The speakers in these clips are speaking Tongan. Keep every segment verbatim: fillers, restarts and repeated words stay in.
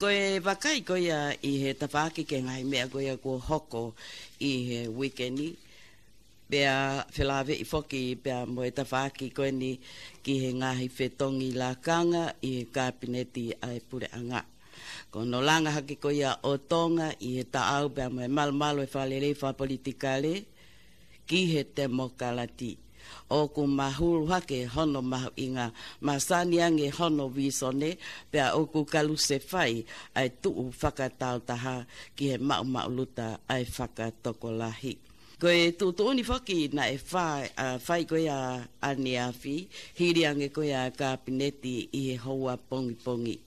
Ko e vakai ko ia ʻi he tafaʻaki ki he ngaahi meʻa ko ia kuo hoko ʻi he uike ni, pea felāveʻi foki pea mo e tafaʻaki ko eni ki he ngaahi fetongi lakanga ʻi he Kapineti ʻa e Puleʻanga. Ko hono langa hake ko ia ʻo Tonga ʻi he taʻau pea mo e malumalu e fakalelei fakapolitikale ki he temokalati. ʻOku mahulu hake hono mahuʻinga, masani ange hono visone, pea ʻoku kalusefai ʻa e tuʻu fakataautaha ki he maʻumaʻuluta ʻa e fakatokolahi. Ko e tuʻutuʻuni foki naʻe fai, ʻa, fai ko ia ʻaneafi, hili ange ko ia Kapineti ʻi he houa pongipongi.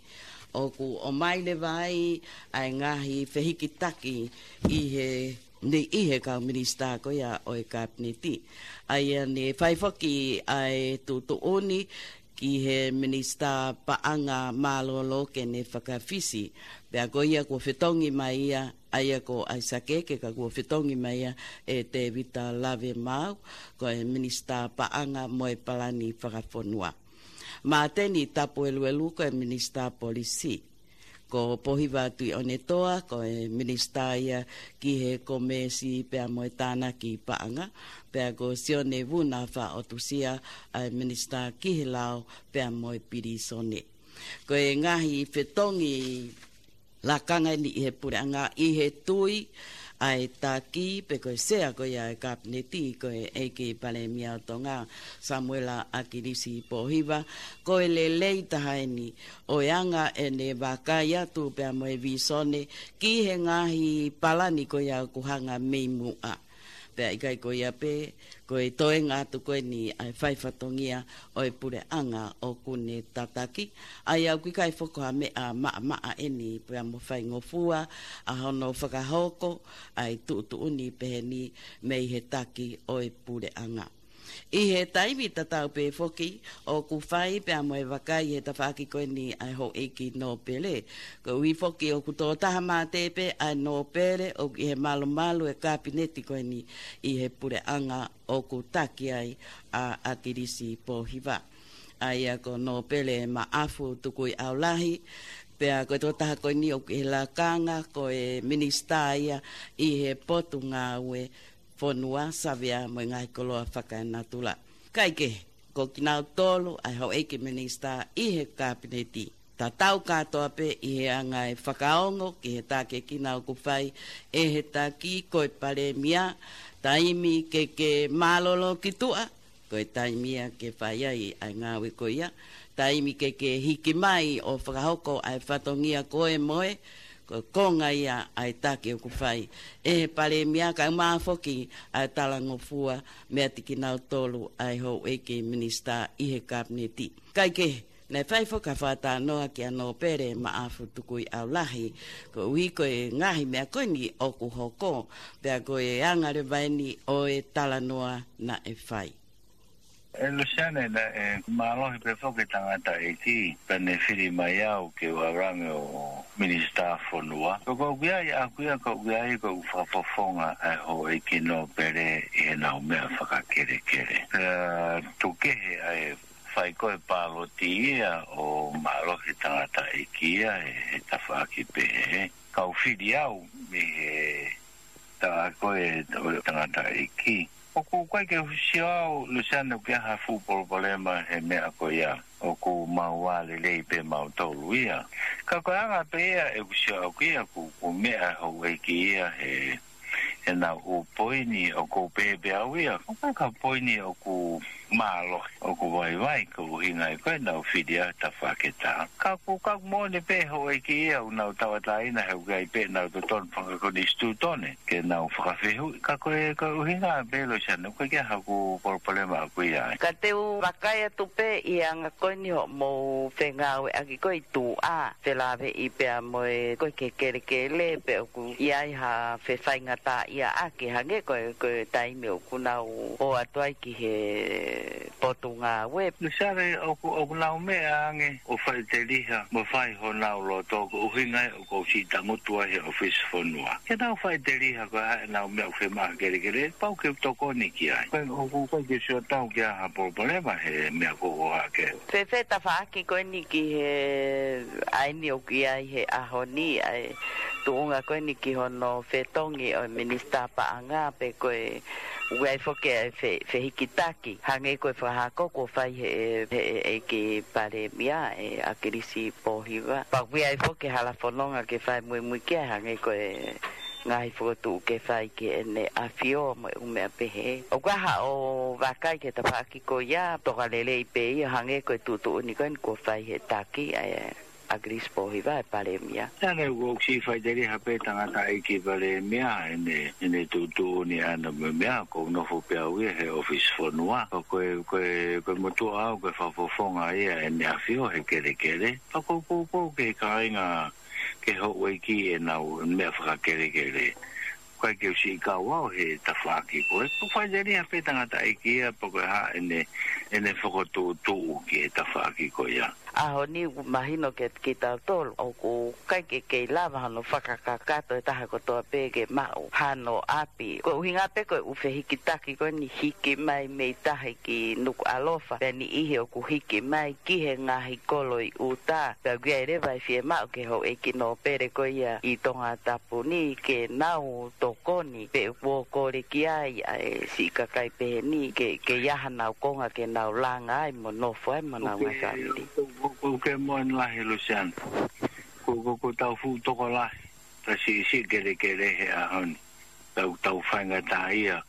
ʻOku ʻomai leva ai ʻa e ngaahi fehikitaki ʻi he, ni ʻi he kau minisitā ko ia ʻo e Kapineti. ʻA ia ne fai foki ʻa e tuʻutuʻuni ki he Minisitā Paʻanga Mālōlō ke ne fakafisi. Pea ko ia kuo fetongi mai ia, ʻa ia ko ʻAisake Eke, ka kuo fetongi mai ia ʻe Tēvita Lavemaau, ko e Minisitā Paʻanga mo e Palani Fakafonua. Māteni Tapueluelu ko e Minisitā Polisi. Ko Pōhiva Tuʻiʻonetoa, ko e minisitā ia ki he komesi pea mo e tānaki paʻanga, pea ko Sione Vuna Faʻotusia ʻa e minisitā ki he lao pea mo e pilīsone. Ko e ngaahi fetongi lakanga eni ʻi he puleʻanga ʻi he tui ʻa e taki pe ko e sea ko ia e Kapineti ko e ʻEiki Palēmia ʻo Tonga, Samuela ʻAkilisi Pōhiva, ko e lelei taha eni ʻo e anga ʻene vakai atu pea mo e visone ki he ngaahi palani ko ia ʻoku hanga mei muʻa. Pea ʻikai ko ia pē, ko e toenga atu ko eni ʻa e fai fatongia ʻo e puleʻanga ʻoku ne tataki, ʻa ia ʻoku ʻikai foki ha meʻa maʻamaʻa eni pea mo faingofua ʻa hono fakahoko ʻa e tuʻutuʻuni peheni mei he taki ʻo e puleʻanga. ʻI he taimi tatau pē foki, ʻoku fai pea mo e vakai he tafaʻaki ko eni ʻa e houʻeiki nōpele. Koeʻuhi foki ʻoku tō taha mate pē ʻa e nōpele ʻoku ʻi he malumalu e Kapineti ko eni ʻi he puleʻanga ʻoku taki ai ʻa ʻAkilisi Pōhiva. ʻA ia ko Nōpele Maʻafu Tukuiʻaulahi, pea ko e tokotaha ko eni ʻoku ʻi he lakanga ko e minisitā ia ʻi he Potungāue Fonua, Savea mo e ngaahi koloa fakaenatula. Kae kehe, ko kinautolu ʻa e houʻeiki minisitā ʻi he Kapineti. Tatau kātoa pē ʻi he anga e fakaongo ki he taki ʻoku nau fai ʻe he taki ko e Palēmia, taimi ke ke mālōlō ki tuʻa, ko e taimi ia ke fai ai ʻa e ngāue ko ia, taimi ke ke hiki mai ʻo fakahoko ʻa e fatongia ko e moe, ko e konga ia ʻa e taki ʻoku fai ʻe he Palēmia, kae ʻumaʻā foki ʻa e talangofua meiate kinautolu ʻa e houʻeiki minisitā ʻi he Kapineti. Kae kehe, naʻe fai foki ha fakatalanoa kia Nōpele Maʻafu Tukuiʻaulahi, koeʻuhi ko e ngaahi meʻa ko eni ʻoku hoko, pea ko e anga leva eni ʻo e talanoa naʻe fai. ʻE Luseane, naʻe mālohi pē foki e tangataʻeiki, pea ne fili mai au ke u ʻalu ange ʻo minisitā fonua. Ko ʻeku ʻi ai, ʻaku ia ko ʻeku ʻi ai, ko ʻeku fakafofonga ʻa e houʻeiki nōpele ʻi heʻenau meʻa fakakelekele. Pea tukukehe ʻa e fai ko e pāloti ia ʻo mālohi tangataʻeiki ia he, he tafaʻaki pehē. Kau fili au mei he taʻa ko e ʻo e tangataʻeiki. ʻOku ʻikai ke u sio au, Luseane, ʻoku ʻi ai ha fuʻu palopalema he meʻa ko ia. ʻOku mau ō lelei pē mautolu ia. Ka ko e anga pē ia ʻeku sio au ki ai, ʻoku, ʻoku meʻa houʻeiki ia he, he nau ʻū poini ʻoku ou pehē pē au ia. ʻOku ʻikai ko ha poini ʻoku mālohi, ʻoku vaivai ko e ʻuhinga ia ko ʻenau fili ʻa e tafaʻaki ʻe taha. Ka ʻoku, ka ʻoku moʻoni pē houʻeiki ia ʻoku nau tauʻatāina he ʻoku ʻi ai pē ʻenau totonu fakakonisitūtone ke nau fakafehuʻi. Ka ko e, ko e ʻuhinga pē, Luseane, ʻoku ʻikai ke ʻi ai haʻaku palopalema ʻaku ia ai. Ka te u vakai atu pē ʻi he anga ko eni hoʻomou fengāueʻaki ko ē ʻi tuʻa, felāveʻi pea mo e ko e kelekele pe ʻoku ʻi ai ha fefaingataʻaʻia ʻaki, hangē ko e, ko e taimi ʻoku nau ō atu ai ki he Potungāue. Lusiane, ʻoku, ʻoku nau meʻa ange ʻo faʻiteliha mo fai honau loto, ko e ʻuhinga ia ʻoku ou siʻi tangutu ai he ʻofisi fonua. Ke nau faʻiteliha ko e hā ʻenau meʻa ʻoku fiemaʻu he kelekele, pau ke u tokoni ki ai. Ko e ʻoku, ʻoku ʻikai ke u sio atu ki ha palopalema he meʻa ko ē ʻoku hake. Fēfē tafaʻaki ko eni ki he ʻaho ni ʻoku ʻi ai he ʻaho ni ʻa e tuʻunga ko eni ki hono fetongi ʻo e Minisitā Paʻanga pe ko e ʻoku ʻi ai foki e fe-, fehikitaki, hangē ko e fakahako kuo fai he, he, he ʻEiki Palēmia ʻe ʻAkilisi Pōhiva. Pea ʻoku ʻi ai foki e hala fononga ke fai muimui ki ai hangē ko e ngaahi fokotuʻu ke fai ki heʻene ʻAfio mo e ʻū meʻa pehē. ʻOku ʻi ai haʻo vakai ki he tafaʻaki ko ia, toka lelei pē ia hangē ko e tuʻutuʻuni ko eni kuo fai he taki, ʻe ʻAkilisi Pōhiva ʻe Palēmia. Tane ʻoku ou siʻi faʻiteliha pē tangataʻeiki Palēmia, ʻene, ʻene tuʻutuʻuni ʻana mo e meʻa, ʻoku ou nofo pē au ia he ʻofisi fonua. Ko e, ko e, ko e motuʻa au, ko e fakafofonga ia ʻene ʻAfio he kelekele. Pea ʻoku ou poupou ki he kāinga, ki he houʻeiki ʻenau meʻa fakakelekele. ʻOku ʻikai ke u siʻi kau au he tafaʻaki ko ē. ʻOku faʻiteliha pē tangataʻeiki ia pe ko e hā ʻene, ʻene fokotuʻutuʻu ki he tafaʻaki ko ia. ʻAho ni ʻoku mahino kiate kitautolu ʻoku ʻikai ke kei lava hano fakakakato e taha kotoa pē ke maʻu hano ʻapi. Ko e ʻuhinga pē ko e ʻū fehikitaki ko eni hiki mai mei tahi ki Nukuʻalofa, pea niʻihi ʻoku hiki mai ki he ngaahi kolo ʻi ʻuta. Pea ʻoku ʻi ai leva e fiemaʻu ki he houʻeiki nōpele ko ia ʻi Tongatapu ni ke nau tokoni pe kuo kole ki ai ʻa e siʻi kakai pehē ni ke, ke ʻi ai hanau konga ke nau langa ai mo nofo ai mo nau ngaahi fāmili. ʻOku, ʻoku, ʻoku ke moʻoni lahi, Lusiane. Ko, ko, ko ʻetau fuʻu tokolahi, ta siʻisiʻi kelekele he ʻaho ni. Tau, tau faingataʻaʻia,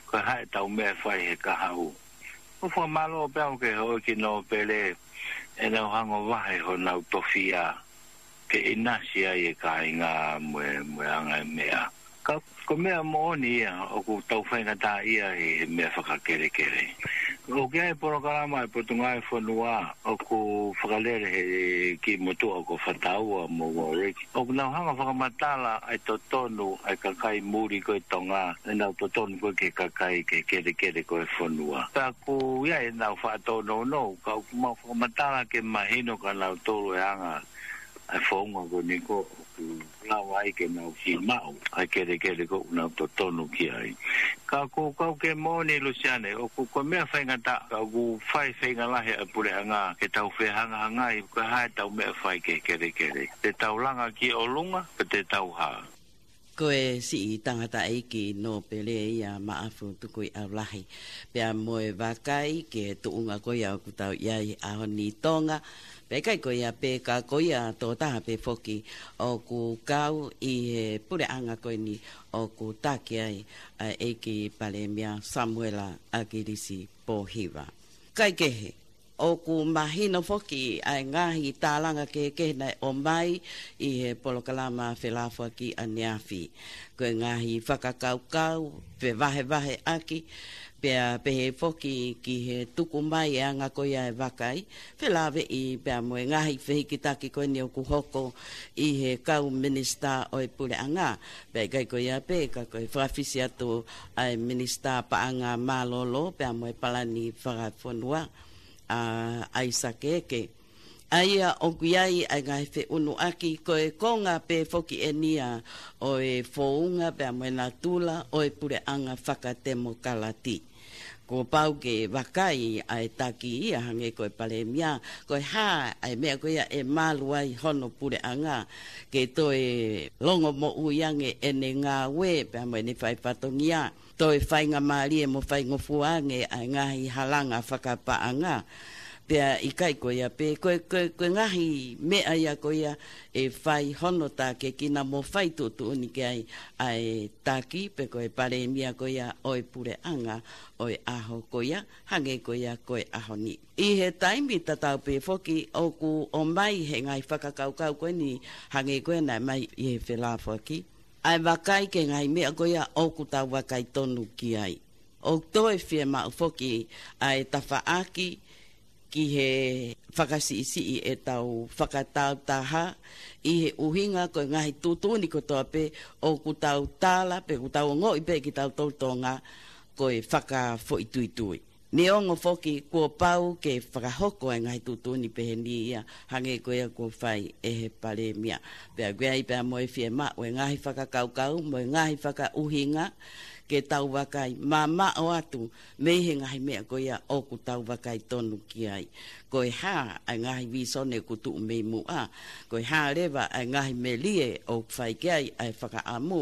ko e hā ʻetau meʻa ʻe fai he kahaʻu. ʻOku fakamālō pē au ki he houʻeiki nōpele, ʻenau hanga ʻo vahe honau tofiʻa ke ʻinasi ai e kāinga mo e, mo e anga e meʻa. Ka ko e meʻa moʻoni ia, ʻoku tau faingataʻaʻia he, he meʻa fakakelekele. ʻOku ʻi ai e polokalama ʻa e Potungāue Fonua, ʻoku fakalele he kiʻi motuʻa ko Fataua mo Warwick. ʻOku nau hanga ʻo fakamatala ʻa e totonu ʻa e kakai muli ko ē ʻi Tonga, ʻenau totonu ko ē ki he kakai, ki he kelekele ko ē ʻo e fonua. Pea ʻoku ʻi ai ʻenau faʻa tōnounou, ka ʻoku mau fakamatala ke mahino kia nautolu e anga ʻa e founga ko eni ko ē ʻoku lava ai ke nau siʻi maʻu ʻa e kelekele ko ē ʻoku nau totonu ki ai. Ka ʻoku, ka ʻoku ke moʻoni, Lusiane, ʻoku, ko e meʻa faingataʻa, ka ʻoku fai feinga lahi ʻa e puleʻanga ke tau fehangahangai, ko e hā ʻetau meʻa ʻe fai ki he kelekele. Te tau langa ki ʻolunga, pe te tau hā? Ko e siʻi tangataʻeiki nōpele ia Maʻafu Tukuiʻaulahi. Pea mo e vakai ki he tuʻunga ko ia ʻoku tau ʻi ai he ʻaho ni ʻi Tonga. Pea ʻikai ko ia pē ka ko ia tokotaha pē foki ʻoku kau ʻi he puleʻanga ko eni ʻoku taki ai ʻa e ʻEiki Palēmia Samuela ʻAkilisi Pōhiva. Kae kehe, ʻoku mahino foki ʻa e ngaahi tālanga kehekehe naʻe ʻomai ʻi he polokalama felāfoaki ʻaneafi. Ko e ngaahi fakakaukau, fevahevaheʻaki, pea pehē foki ki he tuku mai e anga ko ia e vakai, felāveʻi pea mo e ngaahi fehikitaki ko eni ʻoku hoko ʻi he kau minisitā ʻo e puleʻanga. Pea ʻikai ko ia pē, ka ko e fakafisi atu ʻa e Minisitā Paʻanga Mālōlō, pea mo e Palani Fakafonua, ʻa ʻAisake Eke. ʻA ia ʻoku ʻi ai ʻa e ngaahi feʻunuʻaki, ko e konga pē foki eni ia ʻo e founga pea mo e natula ʻo e puleʻanga fakatemokalati. Kuo pau ke vakai ʻa e taki ia hangē ko e palēmia, ko e hā ʻa e meʻa ko ia ʻe malu ai hono puleʻanga, ke toe longomoʻui ange ʻene ngāue pea mo ʻene fai fatongia. Toe faingamālie mo faingofua ange ʻa e ngaahi halanga fakapaʻanga. Pea ʻikai ko ia pē, ko e, ko e, ko e ngaahi meʻa ia ko ia ʻe fai hono tākiekina mo fai tuʻutuʻuni ki ai ʻa e taki pe ko e palēmia ko ia ʻo e puleʻanga ʻo e ʻaho ko ia, hangē ko ia ko e ʻaho ni. ʻI he taimi tatau pē foki ʻoku ʻomai he ngaahi fakakaukau ko eni hangē ko ia naʻe ʻomai ʻi he felāfoaki. ʻA e vakai ki he ngaahi meʻa ko ia ʻoku tau vakai tonu ki ai. ʻOku toe fiemaʻu foki ʻa e tafaʻaki ki he fakasiʻisiʻi ʻetau fakatāutaha ʻi he ʻuhinga ko e ngaahi tuʻutuʻuni kotoa pē ʻoku tau tala pe ʻoku tau ongoʻi pē kitautolu Tonga ko e fakafoʻituitui. Neongo foki kuo pau ke fakahoko e ngaahi tuʻutuʻuni pehē ni ia, hangē ko ia kuo fai ʻe he Palēmia. Pea ʻoku ʻi ai pea mo e fiemaʻu e ngaahi fakakaukau, mo e ngaahi fakaʻuhinga, ke tau vakai mamaʻo atu mei he ngaahi meʻa ko ia ʻoku tau vakai tonu ki ai. Ko e hā ʻa e ngaahi vīsone ʻoku tuʻu mei muʻa, ko e hā leva ʻa e ngaahi melie ʻoku fai ki ai ʻa e fakaʻamu,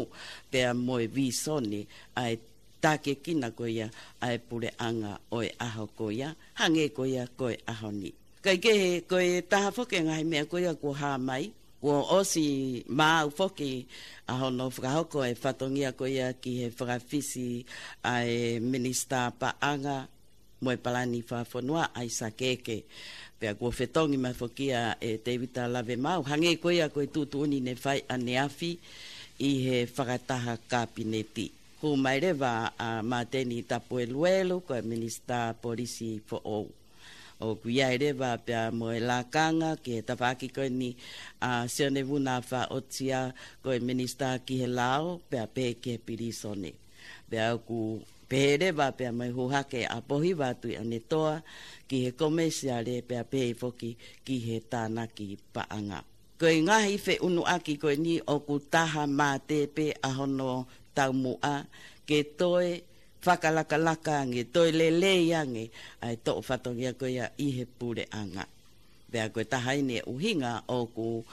pea mo e vīsone ʻa e tākiekina ko ia ʻa e puleʻanga ʻo e ʻaho ko ia, hangē ko ia ko e ʻaho ni. Kae kehe, ko e taha foki e ngaahi meʻa ko ia kuo hā mai, kuo ʻosi maau foki ʻa hono fakahoko e fatongia ko ia ki he fakafisi ʻa e Minisitā Paʻanga mo e Palani Fakafonua, ʻAisake Eke. Pea kuo fetongi mai foki ia ʻe Tēvita Lavemaau, hangē ko ia ko e tuʻutuʻuni ne fai ʻaneafi ʻi he fakataha Kapineti. Hū mai leva ʻa Māteni Tapueluelu, ko e Minisitā Polisi foʻou. ʻOku ʻi ai leva pea mo e lakanga ki he tafaʻaki ko eni ʻa Sione Vuna Faʻotia, ko e Minisitā ki he Lao, pea pehē ki he pilīsone. Pea ʻoku pehē leva pea mo e hū hake ʻa Pohiva Tuʻiʻonetoa ki he Komēsiale, pea pehē foki ki he Tānaki Paʻanga. Ko e ngaahi feʻunuʻaki ko eni ʻoku taha mate pē ʻa hono taumuʻa ke toe fakalakalaka ange, toe lelei ange ʻa e toʻo fatongia ko ia ʻi he puleʻanga. Pea ko e taha eni e ʻuhinga ʻoku,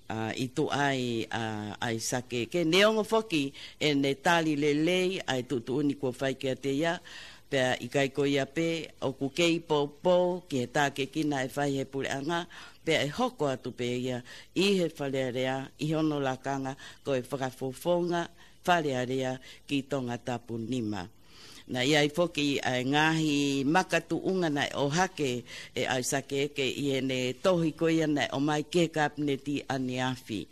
ʻa, ʻi tuʻa ai ʻa ʻAisake Eke, neongo foki ʻene tali lelei ʻa e tuʻutuʻuni kuo fai kiate ia, pea ʻikai ko ia pē, ʻoku kei poupou ki he tākiekina ʻe fai he puleʻanga, pea ʻe hoko atu pē ia ʻi he Fale Alea, ʻi hono lakanga ko e fakafofonga Fale Alea ki Tongatapu nima. Naʻe ʻi ai foki ʻa e ngaahi makatuʻunga naʻe ʻohake ʻe ʻAisake Eke ʻi heʻene tohi ko ia naʻe ʻomai ki he Kapineti ʻaneafi.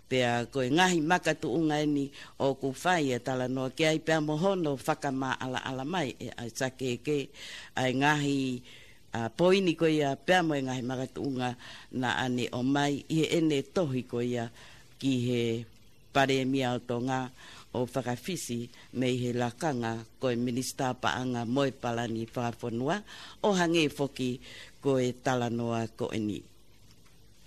Pea ko e ngaahi makatuʻunga eni ʻoku fai e talanoa ki ai pea mo hono fakamaʻalaʻala mai ʻe ʻAisake Eke ʻa e ngaahi, ʻa, poini ko ia pea mo e ngaahi makatuʻunga naʻa ne ʻomai ʻi heʻene tohi ko ia ki he Palēmia ʻo Tonga ʻo fakafisi mei he lakanga ko e Minisitā Paʻanga mo e Palani Fakafonua, ʻo hangē foki ko e talanoa ko eni.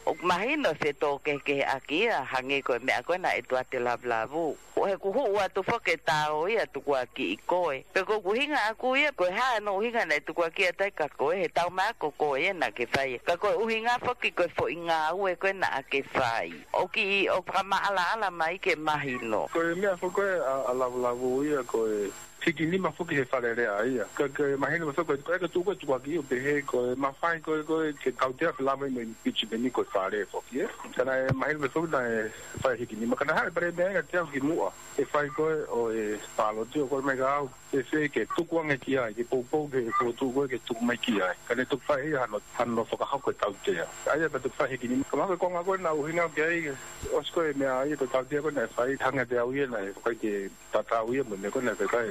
ʻOku mahino e fetōkehekeheʻaki ia, hangē ko e meʻa ko ē naʻe tuate lavulavu. ʻO he kuo hū atu foki e tao ia tukuakiʻi koe. Pea ko e ʻuhinga ʻaku ia, ko e hā hono ʻuhinga naʻe tukuakiʻi atu ai kia koe, he tau mai ko koe ia naʻa ke fai. Ka ko e ʻuhinga foki ko e foʻi ngāue ko ē naʻa ke fai. ʻOku ʻi, ʻoku fakamaʻalaʻala mai ke mahino. Ko e meʻa foki ko ē ʻa, ʻa lavulavu ia ko e hiki nima foki he Fale Alea ia. Ka, ka mahino mai foki ko e, ko e tuku, tukuakiʻi ʻo pehē ko e mafai ko ē, ko ē ke tautea felāveʻi mo e impeachment ko e Fale foki, ē. Ka naʻe mahino mai foki naʻe fai hiki nima. Ka naʻe haʻu e Palēmia ia kiate au ki muʻa e fai ko ē ʻo e pāloti, ʻo kole mai kia au, fēfē ke tuku ange ki ai, ke poupou ki he fokotuʻu ko ē ke tuku mai ki ai. Ka ne toki fai ia hano, hano fakahoko e tautea. ʻA ia pea toki fai hiki nima. Ka mahalo ko e konga ko ē naʻe ʻuhinga ki ai, ʻosi ko ē meʻa ia ko e tautea ko ē naʻe fai, hangē pē au ia naʻe fakaʻi ke tatau ia mo e meʻa ko ē naʻe fai, kae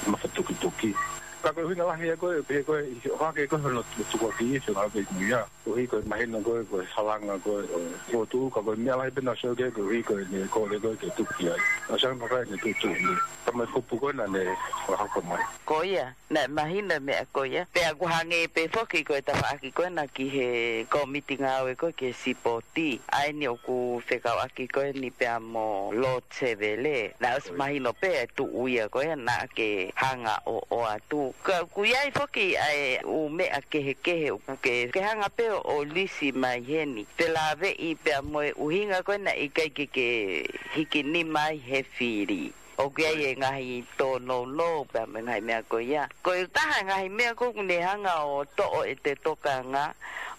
mafatukituki. Ka ko e ʻuhinga lahi ia ko ē, pehē ko ē, ʻi he ʻohake ko ē hono tukuakiʻi e fengāueʻaki ia. Koeʻuhi ko e mahino ko ē, ko e halanga ko ē ʻo e fokotuʻu, ka ko e meʻa lahi pē naʻe sio ki ai, koeʻuhi ko ʻene kole ko ē ke tuku ki ai. ʻA ia naʻe fai ʻene tuʻutuʻuni. Ka mo e kupu ko ē naʻa ne fakahoko mai. Ko ia, naʻe mahino e meʻa ko ia. Pea ʻoku hangē pē foki ko e tafaʻaki ko ena ki he kōmiti ngāue ko ē ki he sipoti. ʻA eni ʻoku fekauʻaki ko eni pea mo Lord Sevele. Naʻe ʻosi mahino pē e tuʻu ia ko ē naʻa ke hanga ʻo ʻoatu. Ka ʻoku ʻi ai foki ʻa e ʻū meʻa kehekehe ʻoku ke, ke hanga pē ʻo lisi mai heni. Felāveʻi pea mo e ʻuhinga ko ē naʻe ʻikai ke ke hiki nima ai he fili. ʻOku ʻi ai e ngaahi tōnounou pea mo e ngaahi meʻa ko ia. Ko e taha e ngaahi meʻa ko ē ʻoku ne hanga ʻo toʻo ʻete tokanga,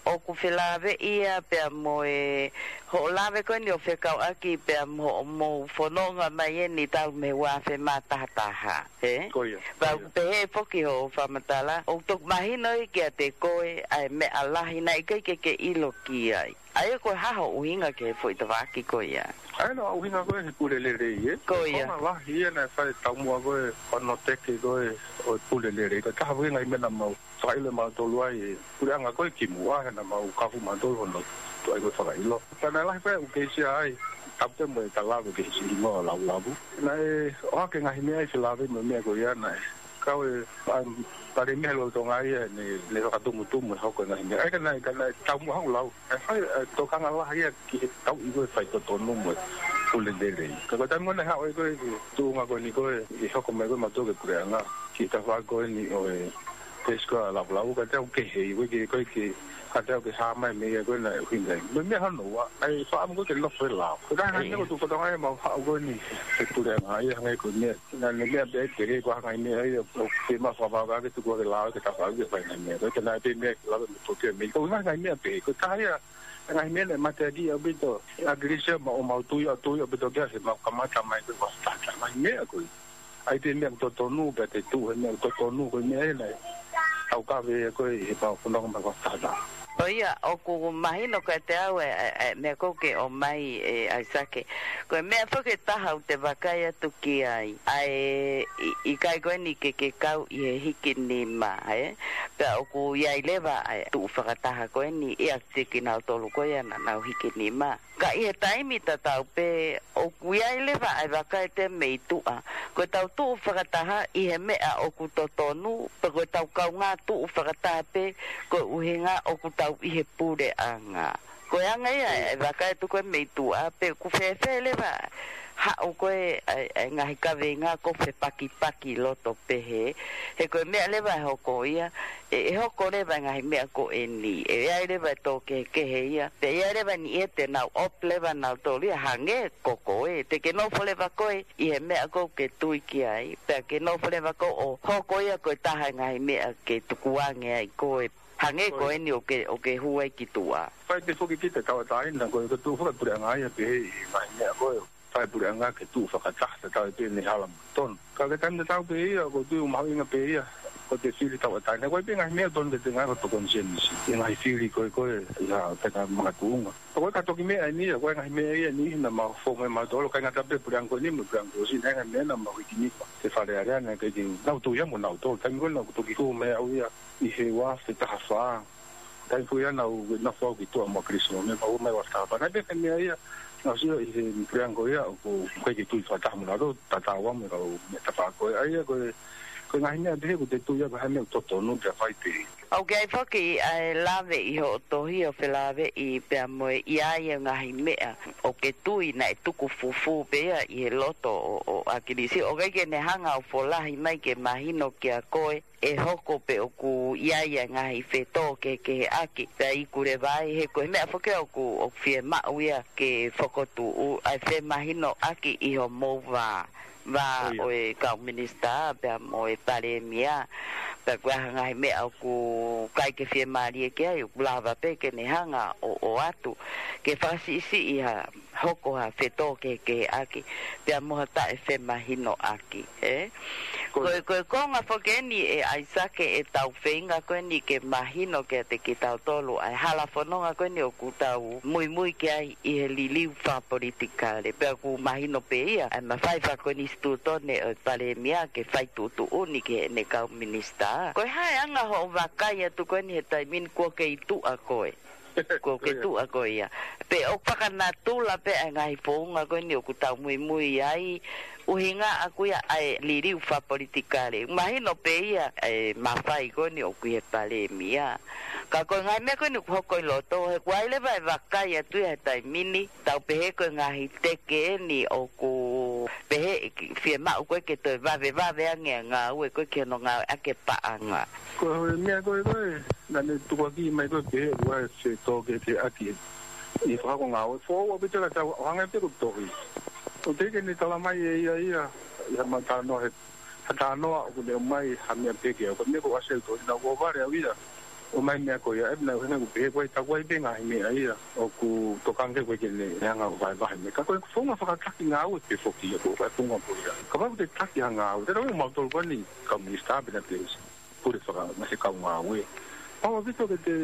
ʻoku felāveʻi ia pea mo e hoʻo lave ko eni ʻo fekauʻaki pea mo hoʻomou fononga mai eni talu mei he ua afe mā taha taha, ē? Ko ia, ko ia. Pea ʻoku pehē foki hoʻo fakamatala, ʻoku toki mahino ia kiate koe ʻa e meʻa lahi naʻe ʻikai ke ke ʻilo ki ai. ʻA ia ko e hā hoʻo ʻuhinga ki he foʻi tafaʻaki ko ia? ʻA ia naʻe ʻuhinga ko ē he pule lelei, ē? Ko ia. Ko e konga lahi ia naʻe fai taumuʻa ko ē hono teke ko ē ʻo e pule lelei. Ko e taha foki e ngaahi meʻa naʻa mau fakaʻilo ʻe mautolu ai e puleʻanga ko ē kimuʻa he naʻa mau kafu mautolu hono tuʻu ai ko ē fakaʻilo. Ka naʻe lahi pē ʻū keisi ai, tapu te mo e talave keisi ʻi muʻa ʻo lavulavu. Naʻe ʻohake ngaahi meʻa ʻi felāveʻi mo e meʻa ko ia naʻe Kau e, um, Palēmia lolotonga ia ne, ne fakatumutumu e hoko e ngaahi meʻa. ʻAi ka naʻe, ka naʻe taumuʻa haʻu lau. ʻE fai, ʻe tokanga lahi ia ki he tauʻi ko e faitotonu mo e pule lelei. Ka ko e taimi ko ē naʻe haʻu ai ko ē ki he tuʻunga ko eni ko ē, ʻi he hoko mai ko ē mautolu ko e puleʻanga. Ki he tafaʻaki ko eni ʻo e Pesco a Lavulau, ka te au kehe, ʻoku ʻikai ke, ʻoku ʻikai ke, ka te au ke hā mai mei ai ko ē naʻe ʻuhinga ai. Mo e meʻa hono ua, ʻai faʻamu ko ē ke nofo he lao. Ko e taha e ngaahi meʻa ko e tuʻu fatongia ia ʻemau haʻu ko eni he puleʻanga ia hangē ko e meʻa. Naʻa ne meʻa pē ʻe te ke ko e hangē meʻa ia, ʻo ke ma fakavavevave ke tuku ake lao ke tafaʻaki ke fai ngaahi meʻa. Ko e te naʻe pē meʻa ke lava mo toke mei. Ko e ngaahi meʻa pē, ko e taha ia, ngaahi meʻa naʻe mateakiʻi ʻaupito ʻe ʻAkilisi ia mo ʻemau tui ʻa tui ʻaupito kia he mau kamata mai ko e ua tata. Ngaahi meʻa ko ē. ʻAi pē meʻa totonu, pea te tuʻu he meʻa totonu, ko e meʻa ē naʻe tau kave ia ko ē he pau fononga mai ua tata. ʻO ia, ʻoku mahino kiate au e, e, e, meʻa ko ē ke ʻomai ē ʻAisake. Ko e meʻa foki ʻe taha ʻoku te vakai atu ki ai. ʻA e, ʻi, ʻikai ko eni ke, ke kau ʻi he hiki nima, ē? Pea ʻoku ʻi ai leva ʻa e tuʻu fakataha ko eni, ʻiate kinautolu ko ia naʻa nau hiki nima. Ka ʻi he taimi tatau pē, ʻoku ʻi ai leva ʻa e vaka ʻe te mei tuʻa. Ko e tau tuʻu fakataha ʻi he meʻa ʻoku totonu, pe ko e tau kaungā tuʻu fakataha pē, ko e ʻuhinga ʻoku tau ʻi he puleʻanga. Ko e anga ia, ʻa e vaka ʻe tuku ē mei tuʻa, pe ʻoku fēfē leva, haʻu ko ē, ʻa e, ʻa e ngaahi kaveinga ko e fepakipaki loto pehē, he ko e meʻa leva ʻe hoko ia, ʻe, ʻe hoko leva e ngaahi meʻa ko eni, ʻe ʻi ai leva e tō kehekehe ia, pea ʻi ai leva ni ʻe te nau ʻope leva nautolu ia hangē ko koe, te ke nofo leva koe, ʻi he meʻa ko ē ke tui ki ai, pea ke nofo leva koe ʻo hoko ia ko e taha e ngaahi meʻa ke tukuange ai koe, hangē ko eni ʻoku ke, ʻoku ke hū ai ki tuʻa. Fai pē foki kita tauʻatāina, ko e, ko e tuʻu fakapuleʻanga ia pē he ngaahi meʻa ko ē. Fai puleʻanga ke tuʻu fakataha, tatau ai pē ʻene hala mo tonu. Ka ko e taimi tatau pē ia, ʻoku ou tui ʻoku mahuʻinga pē ia, ko e te fili tauʻatāina. Ko e pē ngaahi meʻa tonu te te ngaahi ko e tokoni senisi. ʻI he ngaahi fili ko ē ko ē, ʻi ha, pē ka makatuʻunga. Ko e ka toki meʻa eni ia, ko e ngaahi meʻa ia ni, naʻa mau fou mai mautolu, ʻikai ngata pē puleʻanga ko eni mo e puleʻanga ko ē ʻosi, naʻe ngaahi meʻa naʻa mau hiki nima. He Fale Alea naʻe ʻikai ke nau tui ia mo nautolu. Taimi ko ē naʻa ku toki hū mai au ia, ʻi he ua afe taha fā. Taimi ko ia naʻa ku nofo au ki tuʻa mo ʻAkilisi mo e meʻa, pea u mai ua afe taha fā. Naʻe pehē meʻa ia, naʻa ku sio ʻi he puleʻanga ko ia, ʻoku ʻikai ke tui fakataha mo nautolu, tatau mo e kau meʻa tafaʻaki ko ē. ʻA ia ko e, ko e ngaahi meʻa pehē ʻoku te tui ia ko e hā e meʻa ʻoku totonu pea fai pē. ʻOku ʻi ai foki ʻa e lave ʻi hoʻo tohi ʻo felāveʻi pea mo e ʻi ai e ngaahi meʻa ʻoku ke tui naʻe tuku fufū pē ia ʻi he loto ʻo, ʻo ʻAkilisi. ʻOku ʻikai ke ne hanga ʻo folahi mai ke mahino kia koe ʻe hoko pe ʻoku ʻi ai e ngaahi fetōkehekeheʻaki, pea iku leva ai, he ko e meʻa foki ʻoku, ʻoku fiemaʻu ia ke fokotuʻu, ʻa e femahinoʻaki ʻi hoʻomou vā, vā ʻo e kau minisitā, pea mo e palēmia, pea ko e hā e ngaahi meʻa ʻoku ʻikai ke fiemālie ki ai, ʻoku lava pē ke ne hanga ʻo, ʻoatu, ke fakasiʻisiʻi ha hoko ha fetōkehekeheʻaki, pea mo ha taʻefemahinoʻaki, ē? Ko e, ko e konga foki eni ʻe ʻAisake ʻetau feinga ko eni ke mahino kiate kitautolu, ʻa e hala fononga ko eni ʻoku tau muimui ki ai ʻi he liliu fakapolitikale, pea ʻoku mahino pē ia, ʻa e mafai fakakonisitūtone ʻo e palēmia ke fai tuʻutuʻuni ki heʻene kau minisitā. Ko e hā e anga hoʻo vakai atu ko eni he taimi ni kuo ke ʻi tuʻa koe? Kuo ke tuʻa koe ia. Pea ʻoku fakanatula pē ʻa e ngaahi founga ko eni ʻoku tau muimui ai, ʻuhinga ʻaku ia ʻa e liliu fakapolitikale. Mahino pē ia ʻa e mafai ko eni ʻoku ʻi he palēmia. Ka ko e ngaahi meʻa ko eni ʻoku hoko ʻi loto, he ʻoku ʻi ai leva e vakai atu ia he taimi ni, tau pehē ko e ngaahi teke eni ʻoku pehē fiemaʻu ko ē ke toe vavevave ange ʻa e ngāue ko ē ki hono ngāueʻaki e paʻanga. Ko e meʻa ko ē ko ē, naʻa ne tukuakiʻi mai ko ē pehē ʻoku ʻi ai e fetōkehekeheʻaki ʻi he fakahoko ngāue. Foʻou ʻaupito ka tau hanga pē ko e tohi. ʻOku teʻeki ke ne tala mai ʻe ia ia, ʻi haʻama talanoa he, ha talanoa ʻoku ne ʻomai ha meʻa pē ke au. Ko e meʻa ko ē ʻoku ʻasi he tohi naʻa ku vale au ia. ʻOmai meʻa ko ia, ʻe, naʻe ʻuhinga ʻoku pehē ko e takuai pē ngaahi meʻa ia. ʻOku tokanga ke ko ē ke ne hanga ʻo vahevahe meʻa. Ka ko e founga fakataki ngāue pē foki ia ko e founga ko ia. Kapau ʻoku te taki ha ngāue, te tau mautolu ko eni kau minisitā pē naʻa te pule faka-, naʻa te kau ngāue. Pau ʻaupito ke te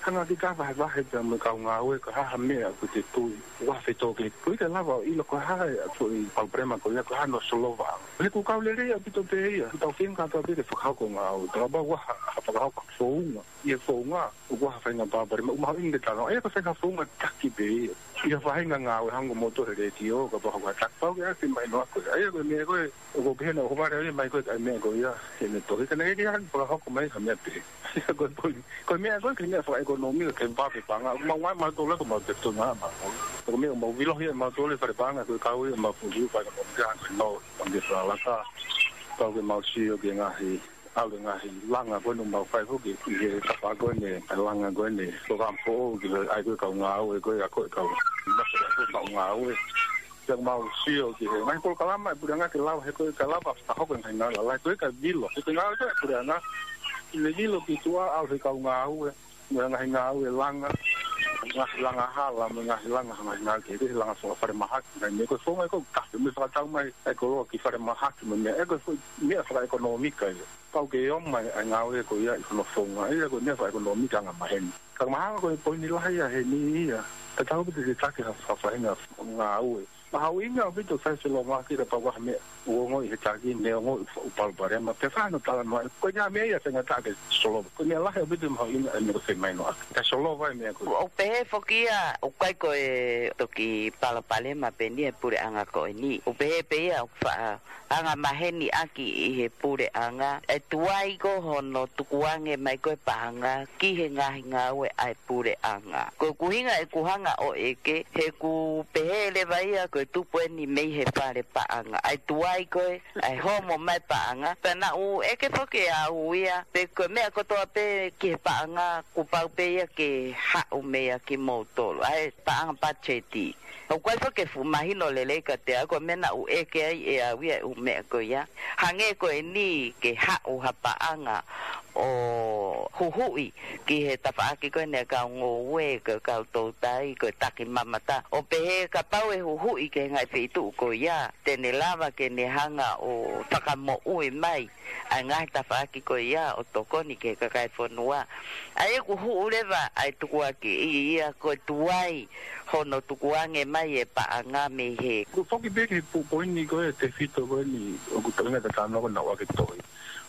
Hanga ki ta vahevahe pea mo e kau ngāue ka ha ha meʻa ʻoku te tui ʻoku ʻi ai ha fetōkehekehe. ʻOku ʻikai lava ʻo ʻilo ko e hā e foʻi palopalema ko ia, ko e hā hono solova. He ʻoku kau lelei ʻaupito pē ia. Tau feinga kātoa pē ke fakahoko ngāue. Kapau ʻoku ʻi ai ha, ha fakahoko founga. ʻI he founga, ʻoku ʻi ai ha faʻahinga palopalema, ʻoku mahuʻinga ke talanoa. ʻA ia ko e faʻahinga founga taki pē ia. ʻI ha faʻahinga ngāue hangē ko moutolu he letiō, kapau ʻoku ʻi ai ha taki, pau ke ʻasi mai noa ko ē. ʻA ia ko e meʻa ko ē, ʻoku ou pehē naʻa ku fale ʻa ia mai ko ē, ʻa e meʻa ko ia, he ne tohi ka naʻe ʻikai ke ʻi ai ha fakahoko mai ha meʻa pē. Ko e poini, ko e meʻa ko ē, ko e meʻa fakaʻekonōmika, ke vave paʻanga. ʻOku mau ngāue mautolu ko mau te tonu ngā ma. Ko e meʻa mau vilo ia mautolu fale paʻanga, ko e kau ia mau fuliu fakaʻekonōmika, ko e nau, ʻo te fakalaka. Pau ke mau sio ki he ngaahi, ʻalu e ngaahi langa ko ē ʻoku mau fai foki, ʻi he tapa ko ē ʻene, ʻa e langa ko ē ʻene, ko ka foʻou ki he ʻai ko ē kau ngāue ko ē, ʻa ko e kau, masa ko e kau ngāue. Pea mau sio ki he ngaahi polokalama ʻa e puleʻanga ke lava he ko e ka lava fakahoko e ngaahi ngāue lalahi ko e ka vilo. He ko e ngāue ko ē ʻa e puleʻanga, ʻi he vilo ki tuʻa ʻalu he kau ngāue, mo e ngaahi ngāue langa, ngaahi langa hala, mo e ngaahi langa, ngaahi ngāue kehekehe, langa faka-, falemahaki, ngaahi meʻa ko e founga ʻoku ka, mo e fakatau mai ʻa e koloa ki falemahaki, mo e meʻa, ʻa ia ko e foʻi meʻa fakaʻekonōmika ia. Pau ke ʻomai ʻa e ngāue ko ia ʻi hono founga, ʻa ia ko e meʻa fakaʻekonōmika angamaheni. Ka mahalo ko e poini lahi ia heni ia. Ka tau piti ke taki ha, ha faʻahinga ngāue. Mahuʻinga ʻaupito sai se lo maki ka pau ha meʻa. ʻOku ongoʻi he taki, ne ongoʻi ʻoku palopalema. Pea fai hono talanoa, ko e ngaahi meʻa ia feinga ta ke solova. Ko e meʻa lahi ʻaupito mahuʻinga ʻa e meʻa ko e femainoʻaki. Ke solova e meʻa ko ē. ʻOku pehē foki ia, ʻoku ʻikai ko e toki palopalema pē eni e puleʻanga ko eni. ʻOku pehē pē ia, ʻoku faʻa angamaheni ʻaki ʻi he puleʻanga, ʻe tuai ko hono tukuange mai ko e paʻanga ki he ngaahi ngāue ʻa e puleʻanga. Ko e ʻuhinga ʻeku hanga ʻo ʻeke, he ʻoku pehē leva ia ko e tupu eni mei he fale paʻanga. ʻE tuai ko e, ʻe homo mai paʻanga, pea naʻa ku ʻeke foki ʻe au ia, pe ko e meʻa kotoa pē ki he paʻanga, kuo pau pē ia ke haʻu mei ai kimoutolu. ʻA e paʻanga patiseti. ʻOku ʻikai foki ke fuʻu mahino lelei kiate au, ko e meʻa naʻa ku ʻeke ai ʻe au ia e ʻū meʻa ko ia. Hangē ko eni ke haʻu ha paʻanga ʻo huhuʻi ki he tafaʻaki ko eni ʻa e kau ngoue, ko e kau toutai, ko e takimamata. ʻO pehē kapau ʻe huhuʻi ki he ngaahi feituʻu ko ia, te ne lava ke ne hanga ʻo fakamoʻui mai ʻa e ngaahi tafaʻaki ko ia ʻo tokoni ki he kakai e fonua. ʻA ia ʻoku hū leva ʻa e tukuakiʻi ia ko e tuai hono tukuange mai e paʻanga mei he. Ko e foki pē ki he pu-, poini ko e tefito ko eni ʻoku tau ʻinga tatano ko naʻa ku ʻoatu e tohi.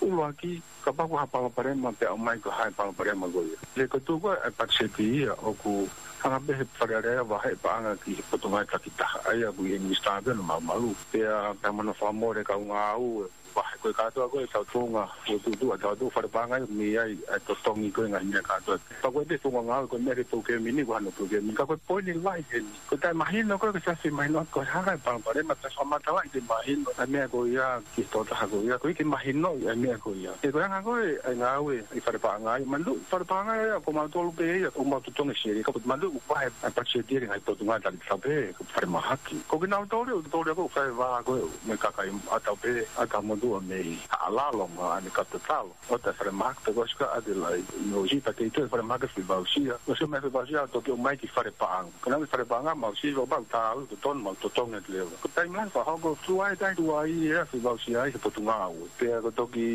ʻUluaki, kapau ko ha palopalema pea ʻomai ko e hā e palopalema ko ia. He ko e tuʻu ko e patiseti ia ʻoku hanga pē he Fale Alea ʻo vahe paʻanga ki he Potungāue Takitaha. ʻA ia ʻoku ʻi he minisitā pē ʻoku malumalu. Pea, pea mo hono fakamole kau ngāue. Vahe ko e kātoa ko e tau tuʻunga, ko e tuʻu ʻa e tau tuʻu fale paʻanga ʻoku mei ai, ʻa e totongi ko e ngaahi meʻa kātoa. Pea ko e te tuʻunga ngāue ko e meʻa ke pau ke mini, ko hano pau ke mini. Ka ko e poini lahi heni. Ko e taʻemahino ko e ke siasi mahino ko e hanga e palopalema, pea fakamatalaʻi ke mahino. ʻA e meʻa ko ia ki he tokotaha ko ia, ko e ke mahino ʻa e meʻa ko ia. He ko e anga ko e, ʻa e ngāue, ʻi fale paʻanga ia, mandu, fale paʻanga ia, ko mautolu pē ia, ko mau totongi seli, ka ko mandu, ʻoku vahe, ʻa e patiseti ia ki he ngaahi Potungāue Takitaha pē, ko e falemahaki. Ko kinautolu, ʻoku tolu ko e fai vā ko e, mo e kakai ʻatau pē, ʻatau motuʻa mei, ʻa lalo ma, ʻa e katatalo. ʻO ta falemahaki pe ko e sika ʻa te lai, no si ta kei te falemahaki fivausia. ʻO si mai fivausia, toki ʻomai ki fale paʻanga. Ka naʻe fale paʻanga, mau si, ʻo pau ta, ʻo totonu, mau totongi atu leva. Ko e taimi lahi fakahoko, tuai, taimi tuai, ʻe fivausia ai he Potungāue. Pea ko e toki,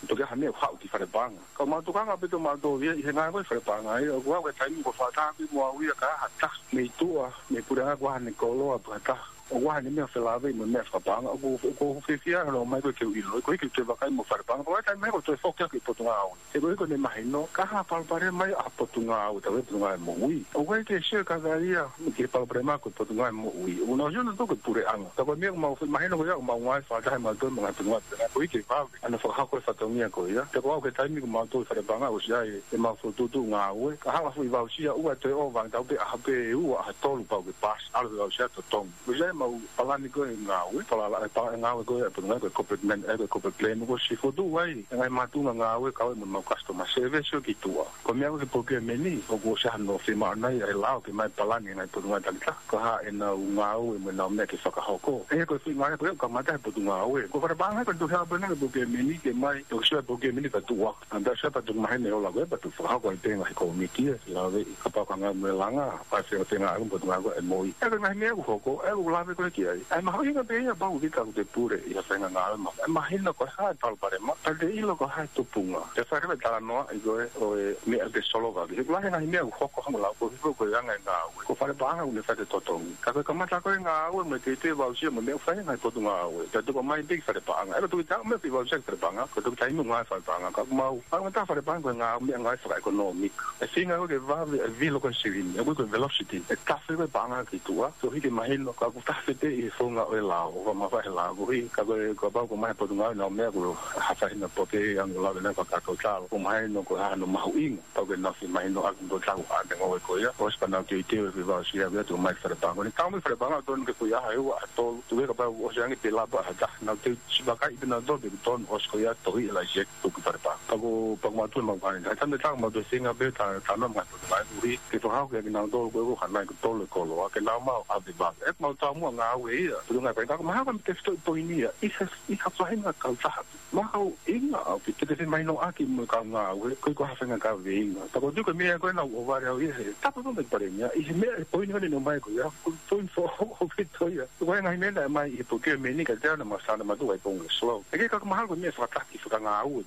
toki ha meʻa haʻu ki fale paʻanga. Ka mau tokanga pē ʻo mau tō ia, ʻi he ngāue ko e fale paʻanga ia, ʻoku ʻi ai e taimi ko e fakataha pē mo au ia ka ha taha, mei tuʻa, mei puleʻanga ko ha ne koloa, pe ha taha. ʻOku ʻi ai e meʻa felāveʻi mo e meʻa fakapaʻanga, ʻoku, ʻoku ou fiefia ʻaupito ʻomai ko e ke u ʻilo, ko e ke u toe vakai mo fale paʻanga, ko e taimi ko e toe foki ʻaki Potungāue. He ko e ko e ne mahino, ka ha palopalema ia ʻa Potungāue, tau e Potungāue Moʻui. ʻOku ʻikai ke sio ka ka ia, ki he palopalema ko e Potungāue Moʻui. ʻOku nau sio nautolu ko e puleʻanga. Ka ko e meʻa ʻoku mau mahino ko ia, ʻoku mau ngāue fakataha mautolu mo e ngaahi Potungāue Takitaha, ko e ke vave. ʻA e fakahoko e fatongia ko ia. Pea ko au ki he taimi ko mautolu fale paʻanga ʻosi ʻi ai, ʻemau fokotuʻutuʻu ngāue. Ka hala fivausia ʻoua toe ʻova, tau pē ʻaho pē ʻe ua, ʻaho ʻe tolu pau ke paasi, ʻalu fivausia totongi. ʻOsi ʻi ai ʻemau palani ko e ngāue, palala e pa-, ngāue ko e Potungāue ko e corporate man, ʻa e ko e corporate plan, ʻoku ʻosi fokotuʻu ai, ʻa e ngaahi mātuʻa ngāue kau ai mo ʻemau customer service ʻo ki tuʻa. Ko e meʻa ko e ke pau ke mini, ʻoku ʻosi ʻi ai hano fiemaʻu nai, ʻa e lao ke ʻomai palani e ngaahi Potungāue Takitaha. Ko e hā ʻenau ngāue mo ʻenau meʻa ke fakahoko. ʻA ia ko e foʻi ngāue ko e kamata he Potungāue. Ko fale paʻanga ko e tuʻu hea pē ʻena ke pau ke mini ke ʻomai, ʻoku ʻosi ʻi ai pau ke mini ka tuʻu ʻa. ʻA ia ʻosi ʻi ai pea tuʻu maheni ʻo la ko e pea tuʻu fakahoko ai pē ngaahi kōmiti ʻe, lau e, kapau ko e ngāue mo e langa, pea fea, fea ngāue mo e Potungāue ko e moʻui. ʻA ia ko e ngaahi meʻa ʻoku hoko, ʻa ia ʻoku Ave koe ki ai. ʻA e mahuʻinga pē ia pau ki ka ʻoku te pule ʻi ha faʻahinga ngāue maʻu. ʻE mahino ko e hā e palopalema, pea te ʻilo ko e hā e tupunga. Te fai leva e talanoaʻi ko ē ʻo e meʻa ke solova ki ai. He ʻoku lahi e ngaahi meʻa ʻoku hoko hangē ko e lau ko e hifo ko e anga e ngāue. Ko e fale paʻanga ʻoku ne fai e totongi. Ka ko e kamata ko e ngāue mo e teuteu voucher mo e meʻa ʻoku fai e ngaahi potungāue. Pea tuku mai pē ki fale paʻanga. ʻE ka tuku ʻi taʻu meʻa ki voucher ki fale paʻanga. Ko e tuku taimi ʻoku ngāue fale paʻanga. Ka ʻoku mau, ʻa e ngata fale paʻanga ko e ngāue meʻa ngāue fakaʻekonōmika. ʻE feinga ko ē ke vave e vilo ko ē silini, ʻoku ʻikai ko e velocity, ʻe tafe ko ē paʻanga ki tuʻa, so hiki mahino, ka ʻoku tafe pē ʻi he founga ʻo e lao, ʻoku mafai he lao, ko hiki, ka ko e, kapau ko e ngaahi potungāue ʻoku nau meʻa ko e hā e faʻahinga pote ʻoku nau lave ʻaki e fakakaukau, ʻoku mahino ko e hā hono mahuʻinga, pau ke nau fie mahino ʻaki ʻo tau ʻa e ngāue ko ia, ʻosi pea nau teuteu e fie voucher ʻa e ʻoatu mai fale paʻanga. Ko eni tau mai fale paʻanga, tonu ke ko ia ha ua, ha tolu, tuku ē kapau ʻosi ange pe lava ha taha, nau teu sivakai pē nautolu pe tonu ʻosi ko ia tohi e laiseni. Tuku fale paʻanga. Pea ko, pea ko mautolu mau kai. Ka tane tau mautolu singa pē ta, ta nau mai tuku mai uri. Ke fakahoko kiate kinautolu ko e ko hanai ko tolu e koloa. Ke nau maʻu ʻave vave. ʻE mau tau muʻa ngāue ia. Pulu ngai kai. Ka ko mahalo ko e tefitoʻi poini ia. ʻI ha, ʻi ha faʻahinga kautaha. Mahuʻinga ʻaupito. Te te fie mahinoʻaki mo e kau ngāue. Ko e ko ha faʻahinga kaveinga. Pea ko e tuku e meʻa ko ē naʻa ku ʻohovale au ia he. Tapu pē mo e palēmia. ʻI he meʻa e poini ko eni naʻe ʻomai ko ia. Ko e poini foʻou ʻaupito ia. Ko e ngaahi meʻa naʻe ʻomai ʻi he puke meni ka te ana masana matu ai pongo slow. ʻE ke ka mahalo ko e meʻa fakataki fakangāue.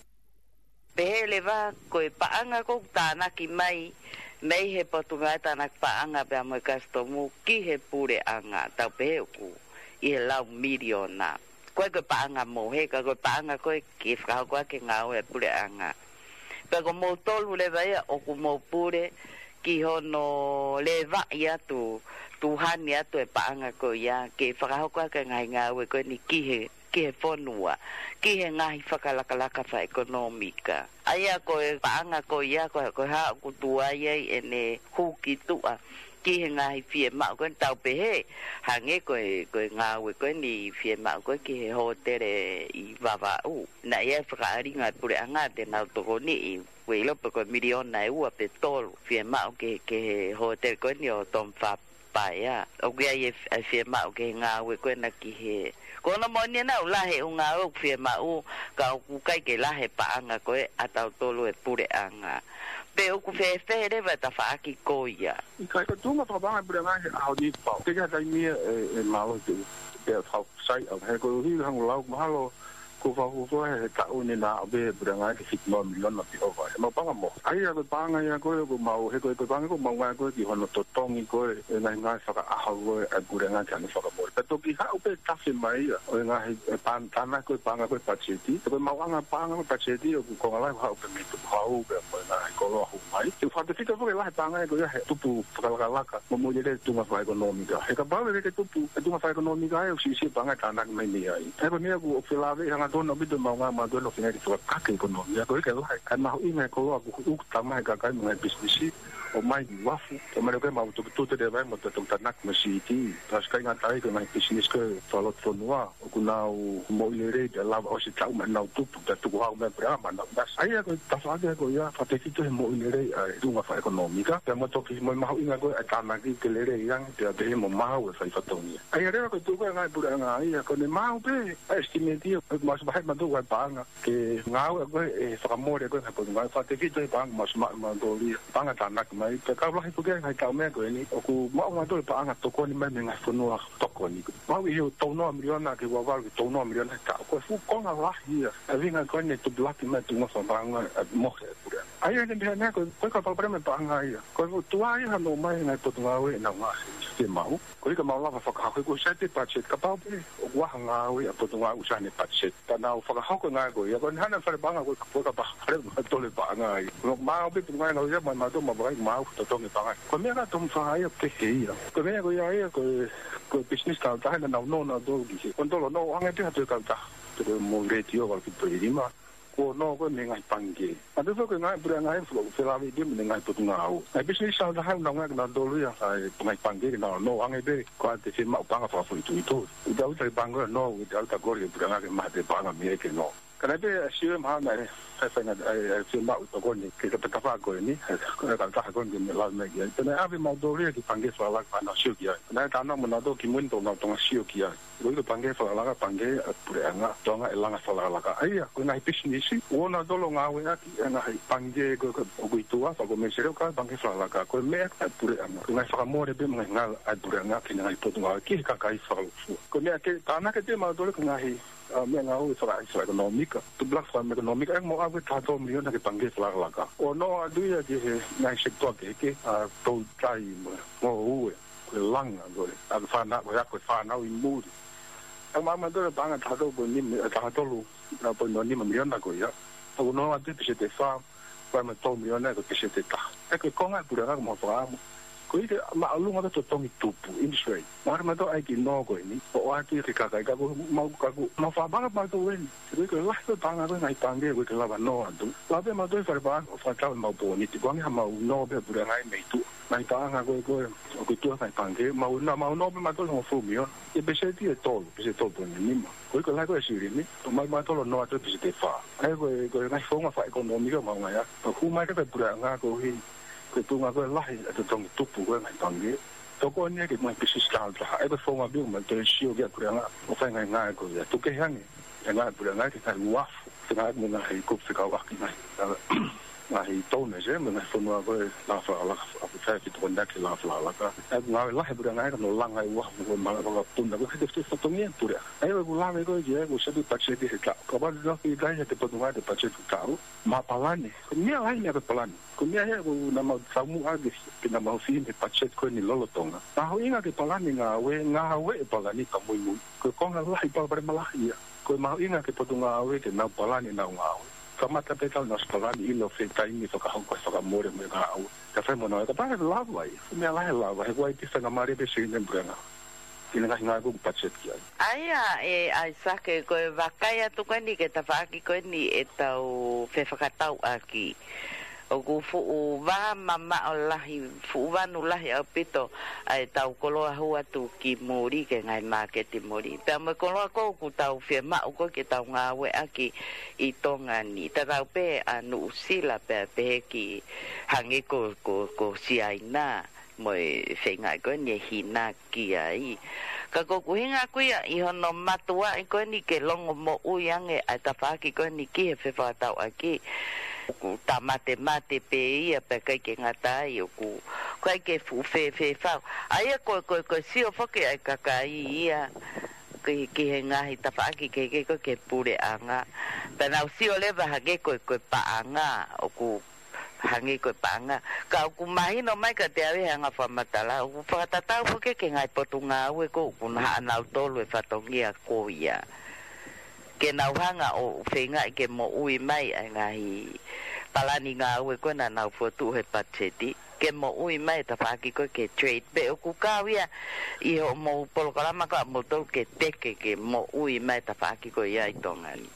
Pehē leva ko e paʻanga ʻoku tānaki mai, mei he Potungāue Tānaki Paʻanga pea mo e Kasitomu ki he puleʻanga, tau pehē ʻoku ʻi he lau miliona. Ko e ko e paʻanga mohe, ka ko e paʻanga ko ē ke fakahoko ʻaki e ngāue ʻa e puleʻanga. Pea ko moutolu leva ia ʻoku mou pule ki hono levaʻi atu, tuhani atu e paʻanga ko ia, ke fakahoko ʻaki e ngaahi ngāue ko eni ki he ki he fonua, ki he ngaahi fakalakalaka fakaʻekonōmika. ʻA ia ko e paʻanga ko ia, ko, ko e hā ʻoku tuai ai ʻene hū ki tuʻa, ki he ngaahi fiemaʻu ko eni tau pehē, hangē ko e, ko e ngāue ko eni fiemaʻu ko ē ki he hōtele ʻi Vavaʻu. Naʻe ʻi ai e fakaʻalinga e puleʻanga te nau tokoniʻi, ʻoku ʻilo pe ko e miliona ʻe ua pe tolu fiemaʻu ki, ki he hōtele ko eni ʻo Tom Fap. Paea, ʻoku ʻi ai e, e fiemaʻu ki he ngāue ko ena ki he. Ko hono moʻoni ena ʻoku lahi e ʻū ngāue ʻoku fiemaʻu, ka ʻoku ʻikai ke lahi e paʻanga ko ē ʻa tautolu e puleʻanga. Pe ʻoku fēfē leva e tafaʻaki ko ia. ʻIkai ko e tuʻunga fakapaʻanga e puleʻanga he ʻaho ni pau. Te ke ha taimi ia e, e mālō te, te fau sai au. He koeʻuhi hangē ko e lau mahalo, ko e fakafuofua he taʻu ni naʻa ʻave e puleʻanga ke fitu noa miliona pe ʻova. He mau paʻanga mohe. ʻA ia ko e paʻanga ia ko ē ʻoku mau, he ko e paʻanga ʻoku mau ngāue ko ē ki hono totongi ko ē e ngaahi ngāue fakaʻaho ko ē ʻa e puleʻanga ke ʻalu fakamole. Pea toki haʻu pē tafe mai ia ʻo e ngaahi e pan-, tānaki ko ē paʻanga ko ē patiseti. Ko e maʻuʻanga paʻanga ko ē patiseti ʻoku konga lahi haʻu pē mei Tukuhau pea mo e ngaahi koloa hū mai. Ke fakatefito foki e lahi e paʻanga ko ia he tupu fakalakalaka mo moʻui lelei e tuʻunga fakaʻekonōmika. He kapau ʻe ʻikai ke tupu e tuʻunga fakaʻekonōmika ai, ʻoku siʻisiʻi e paʻanga ʻe tānaki mai mei ai. He ko e meʻa ʻoku felāveʻi hangatonu ʻaupito e maʻuʻanga ʻa mautolu ʻoku feinga ke fakakake e ʻekonōmia. Ko e ʻikai lahi e mahuʻinga e koloa ʻoku, ʻoku tau maʻu he kakai mo e ngaahi pisinisi ʻo ʻomai ki uafu. Ko e meʻa ko ē mau tuputupu te vai mo te tuku tānaki mo e C E T. Tau siʻi kāinga tai ko e ngaahi pisinisi ko ē fakalotofonua. ʻOku nau moʻui lelei pea lava ʻosi e taʻu mo ʻenau tupu, pea tuku hau mei he puleʻanga mo ʻenau ngāue. ʻA ia ko e tafaʻaki ko ia, fakatefito he moʻui lelei ʻa e tuʻunga fakaʻekonōmika, pea mo e toki mo e mahuʻinga ko ē ʻa e tānaki ke lelei ange, pea pehē mo maʻu e fai fatongia. ʻA ia leva ko e tuʻu ko ē ngaahi puleʻanga ia, ko ʻene maʻu pē ʻa e estimate ia, ʻoku mau ʻosi vahe mautolu ʻa e paʻanga, ke ngāue ko ē ʻe fakamole ko ē ngaahi potungāue, fakatefito he paʻanga mau ʻosi maʻu mautolu ia, paʻanga tānaki mai, pea kau lahi pē ki he ngaahi taʻu meʻa ko eni, ʻoku maʻu mautolu e paʻanga tokoni mai mei he ngaahi fonua tokoni. Mau ʻi he tolu noa miliona ki he ua valu ki he tolu noa miliona he taʻu. Ko e fuʻu konga lahi ia. E ʻuhinga ko eni e tupulaki mai e tuʻunga fakapaʻanga ʻa e mohe e puleʻanga. ʻA ia ʻoku ne pehē ʻe au ko e, ko e ka palopalema e paʻanga ia. Ko e fuʻu tuai ia hano ʻomai e ngaahi potungāue ʻenau ngaahi fiemaʻu. Ko e ʻikai ke mau lava fakahoko ʻoku sai pē patiseti kapau pē ʻoku ʻi ai ha ngāue ʻa e potungāue ʻoku sai ʻene patiseti. Pea nau fakahoko e ngāue ko ia. Ko eni hana fale paʻanga ko e ka, ko e ka pa-, fale ma tole paʻanga ia. Ko mau pē potungāue ngāue ia, ma, mautolu mau vakai mau totongi paʻanga. Ko e meʻa ka Tom Fap ia kehe ia. Ko e meʻa ko ia ia, ko e, ko e pisinisi kautaha naʻa nau nō nautolu ki he. Ko e tolo nō ange pē ha toe kautaha. Te ko e mo letiō wala ki toe lima. Ko e nō ko ē mei he ngaahi pangikē. Ka te fo ko e ngaahi puleʻanga ia ʻoku felāveʻi pē mo e ngaahi potungāue. Ngaahi pisinisi kautaha naʻa nau ngāue nautolu ia, ʻa e ngaahi pangikē ke nau nō ange pē, ko e te fiemaʻu paʻanga fakafoʻituitui. ʻOku ʻikai ke ʻalu e pangikē ʻo nō, ʻoku ʻikai ke ʻalu e kole e puleʻanga ke maʻu ha toe paʻanga mei ai ke nō. Ka naʻe pehē ʻa e C E O mahalo naʻe, ʻe, ʻe, ʻe fiemaʻu tokoni ki he kautaha ko eni, ʻe, ko e kautaha ko eni ke ne lave mai ki ai. Pea naʻe ʻave mautolu ia ki he pangikē fakalaka pea nau sio ki ai. Naʻe talanoa mo nautolu kimuʻa pea nau toki sio ki ai. Ko e Pangikē Fakalakalaka, pangikē ʻa e puleʻanga, Tonga ʻe langa fakalakalaka. ʻA ia, ko e ngaahi pisinisi, ʻoku nau tolo ngāueʻaki e ngaahi pangikē ko ē ʻoku ʻi tuʻa, fakakomesele ʻo kau pangikē fakalakalaka. Ko e meʻa ʻa e puleʻanga. Ko e ngaahi fakamole pē mo e ngaahi ngāue ʻa e puleʻanga ki he ngaahi potungāue, ki he kakai fakalūkufua. Ko e meʻa ke tānaki pē mautolu ki he ngaahi, ā, meʻangāue faka-, fakaʻekonōmika, tupulaki fakaʻekonōmika, ʻe mo ʻave taha tolu miliona ki he pangikē fakalakalaka. ʻO nofo atu ia ki he ngaahi sekitoa kehekehe, ā, toutai mo e ngoue. Ko e langa, ko e ako fānau, ko e ako fānau ʻi muli. ʻE maʻu mautolu e paʻanga taha tolu poini nima, ē, taha tolu, ā, poini nima miliona ko ia. ʻOku nofo atu peseti ʻe fā, ko e maʻu tolu miliona ko e peseti ʻe taha. ʻE ko e konga ʻa e puleʻanga ko mau fakaʻamu. Ko e ʻikai ke māʻolunga pē totongi tupu, interest rate. Mahalo mautolu ʻai ki he nō ko eni, ʻo ʻoatu ki he kakai ka ko mau ka ko mau fakapaʻanga mautolu eni. Ko e ʻikai ke lahi pē paʻanga ko e ngaahi pangikē ko e ʻikai ke lava nō atu. Lava pē mautolu fale paʻanga ʻo fakatau ʻemau pōniti. Ko e ʻuhinga ʻemau nō pē puleʻanga ʻi mei tuʻa. Ngaahi paʻanga ko ē ko ē ʻoku ʻi tuʻa ngaahi pangikē, mau nā, mau nō pē mautolu hongofulu miliona. ʻE peseti ʻe tolu, peseti ʻe tolu poini nima. Ko e ʻikai ke lahi ko e silini, ʻo maʻu mautolu nō atu peseti ʻe fā. ʻA ia ko e, ko e ngaahi founga fakaʻekonōmika ʻoku mau ngāueʻaki. Ka ʻoku hū mai ki he puleʻanga koeʻuhi, ko e tuʻunga ko e lahi ʻa e totongi tupu ko ē ngaahi pangikē. Tokoni ia ki he ngaahi pisinisi tāutaha. ʻA ia ko e founga pē ʻoku mau toe sio ki ai ʻa e puleʻanga ʻo fai e ngaahi ngāue ko ia. Tuku kehe ange e ngāue ʻa e puleʻanga ki he ngaahi uafu. Fengāueʻaki mo e ngaahi kupu fekauʻaki, ngaahi, ngaahi donors, ē, mo e ngaahi fonua ko ē langa fakalakalaka, ʻoku fai e fetokoniʻaki langa fakalakalaka. ʻA ia ko e ngāue lahi ʻa e puleʻanga ʻa ia ko hono langa e uafu ko ē mo e malanga fakapuna, ko e hete fete fatongia ʻa e puleʻanga. ʻA ia ko ʻeku lave ko ē ki ai, ko e seti patiseti he taʻu. Kapau te tau fie kai he te potungāue e patiseti taʻu, mo e palani. Ko e meʻa lahi e meʻa ko e palani. Ko e meʻa ia ʻoku nau mau taumuʻa ki ai, pea nau mau fili he patiseti ko eni lolotonga. Mahuʻinga ke palani ngāue, ngāue ʻe palani ka muimui. Ko e konga lahi palopalema lahi ia. Ko e mahuʻinga ke potungāue ke nau palani ʻenau ngāue. Kamata pē ʻetau ʻosi palani ʻilo fē taimi fakahoko e fakamole mo e ngāue. Ka fai mo nau e ka pare lava ia. Ko e meʻa lahi lava, he ʻoku ʻi ai e faingamālie pē silini ʻa e puleʻanga. Ki he ngaahi ngāue ʻoku patiseti ki ai. ʻA ia ē ʻAisake, ko e vakai atu ko eni ki he tafaʻaki ko eni ʻetau fefakatauʻaki. ʻOku fuʻu vā mamaʻo lahi, fuʻu vanu lahi ʻaupito ʻa ʻetau koloa hū atu ki muli ki he ngaahi māketi muli. Pea mo e koloa ko ē ʻoku tau fiemaʻu ko ē ke tau ngāueʻaki ʻi Tonga ni. Tatau pē ʻa Nuʻusila pea pehē ki hangē ko, ko, ko Siaina mo e feingaʻi ko eni ʻe hina ki ai. Ka ko ʻeku ʻuhinga ʻaku ia ʻi hono mātuʻaki ko eni ke longomoʻui ange ʻa e tafaʻaki ko eni ki he fefakatauʻaki. ʻOku tāmatemate pē ia pea ʻikai ke ngata ai ʻoku, ʻoku ʻikai ke fuʻu fēfē fau. ʻA ia ko, ko, ko e sio foki ʻa e kakai ia ki, ki he ngaahi tafaʻaki kehekehe ko ē ki he puleʻanga. Pea nau sio leva hangē ko, ko e paʻanga, ʻoku hangē ko e paʻanga. Ka ʻoku mahino mai kiate au he anga fakamatala, ʻoku fakatatau foki ki he ngaahi potungāue ko ē ʻoku nau haʻa nautolu e fatongia ko ia. Ke nau hanga ʻo feingaʻi ke moʻui mai ʻa e ngaahi palani ngāue ko ē naʻa nau fokotuʻu he patiseti. Ke moʻui mai e tafaʻaki ko ē ki he trade. Pea ʻoku kau ia ʻi hoʻomou polokalama ko ē ʻamoutolu ke teke ke moʻui mai e tafaʻaki ko ia ʻi Tonga ni.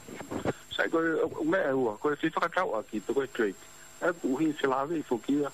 Sai ko e, ʻo, meʻa ʻe ua, ko e fefakatauʻaki pe ko e trade. ʻA ia ʻoku ʻuhi felāveʻi foki ia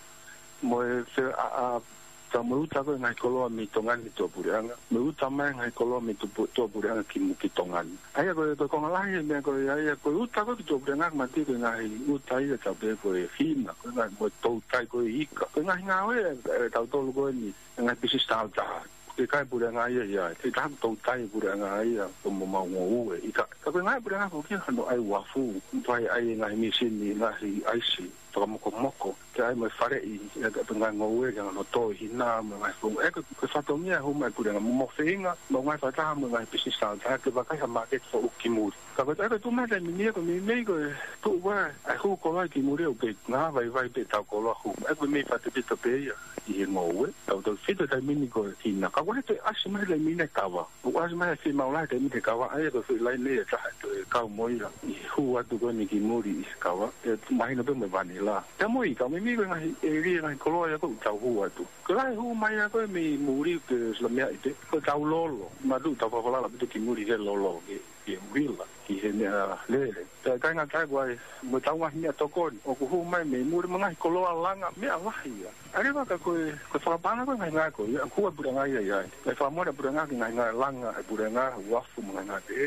mo e fe-, ʻa, ʻa, ka mo e uta ko ē ngaahi koloa mei Tonga ni ki tuʻapuleʻanga. Mo e uta mai ngaahi koloa mei tupu-, tuʻapuleʻanga ki mu-, ki Tonga ni. ʻA ia ko e, ko e konga lahi e meʻa ko ē, ʻa ia ko e uta ko ē ki tuʻapuleʻanga, mati ko e ngaahi uta ia tau pehē ko e hina, ko e ngaahi mo e toutai ko e ika. Ko e ngaahi ngāue ʻa e, ʻa e tautolu ko eni, e ngaahi pisinisi tāutaha. Ke kai puleʻanga ia ia, ke taha toutai puleʻanga ia, ko mo mau ngoue ika. Ka ko e ngaahi puleʻanga ko kia hano ʻai uafu, fai ʻai e ngaahi mīsini, ngaahi ʻaisi, fakamokomoko, ke ʻai mo e faleʻi, ʻe ka pe ngaahi ngoue, ke ngaahi loto, hina, mo e ngaahi founga. ʻE ko, ko e fatongia hū mai puleʻanga, mo, mo feinga, mo e ngaahi fakataha, mo e ngaahi pisinisi tāutaha, ke vakai ha māketi foʻou ki muli. Ka ko e, ʻe ko e tuʻu mai taimi ni ia ko e meimei ko e tuʻu ua, ʻa e hū koloa ki muli ʻoku kei ngāvaivai pē ʻetau koloa hū. ʻE ko e meimei fakatefito pē ia ʻi he ngoue. Tautefito taimi ni ko e hina. Ka ko e toe ʻasi mai taimi ni e kava. ʻOku ʻasi mai e fiemaʻu lahi taimi ni e kava. ʻA ia ko e foʻi laine ia ʻe taha ʻe toe kau mo ia ʻi he hū atu ko eni ki muli ʻi he kava. ʻE mahino pē mo e vanila. Pea mo e ika, meimei ko e ngaahi ʻēlia, ngaahi koloa ia ko ē ʻoku tau hū atu. Ko e lahi hū mai ia ko ē mei muli ke sila meʻa ʻi te. Ko e tau lolo. Matu tau fakalala pē ki muli ke lolo ke ke uila ki he meʻalele. Pea ʻikai ngata ai, ko e mo ʻetau ngaahi meʻatokoni ʻoku hū mai mei muli mo e ngaahi koloa langa, meʻa lahi ia. ʻA ia leva ka ko e, ko e fakapaʻanga ko ē ngaahi ngāue ko ia, ʻoku hū ʻa e puleʻanga ia ia. Pea fakamole ʻa e puleʻanga ki he ngaahi ngāue langa ʻa e puleʻanga, uafu mo e ngaahi ngāue pehē.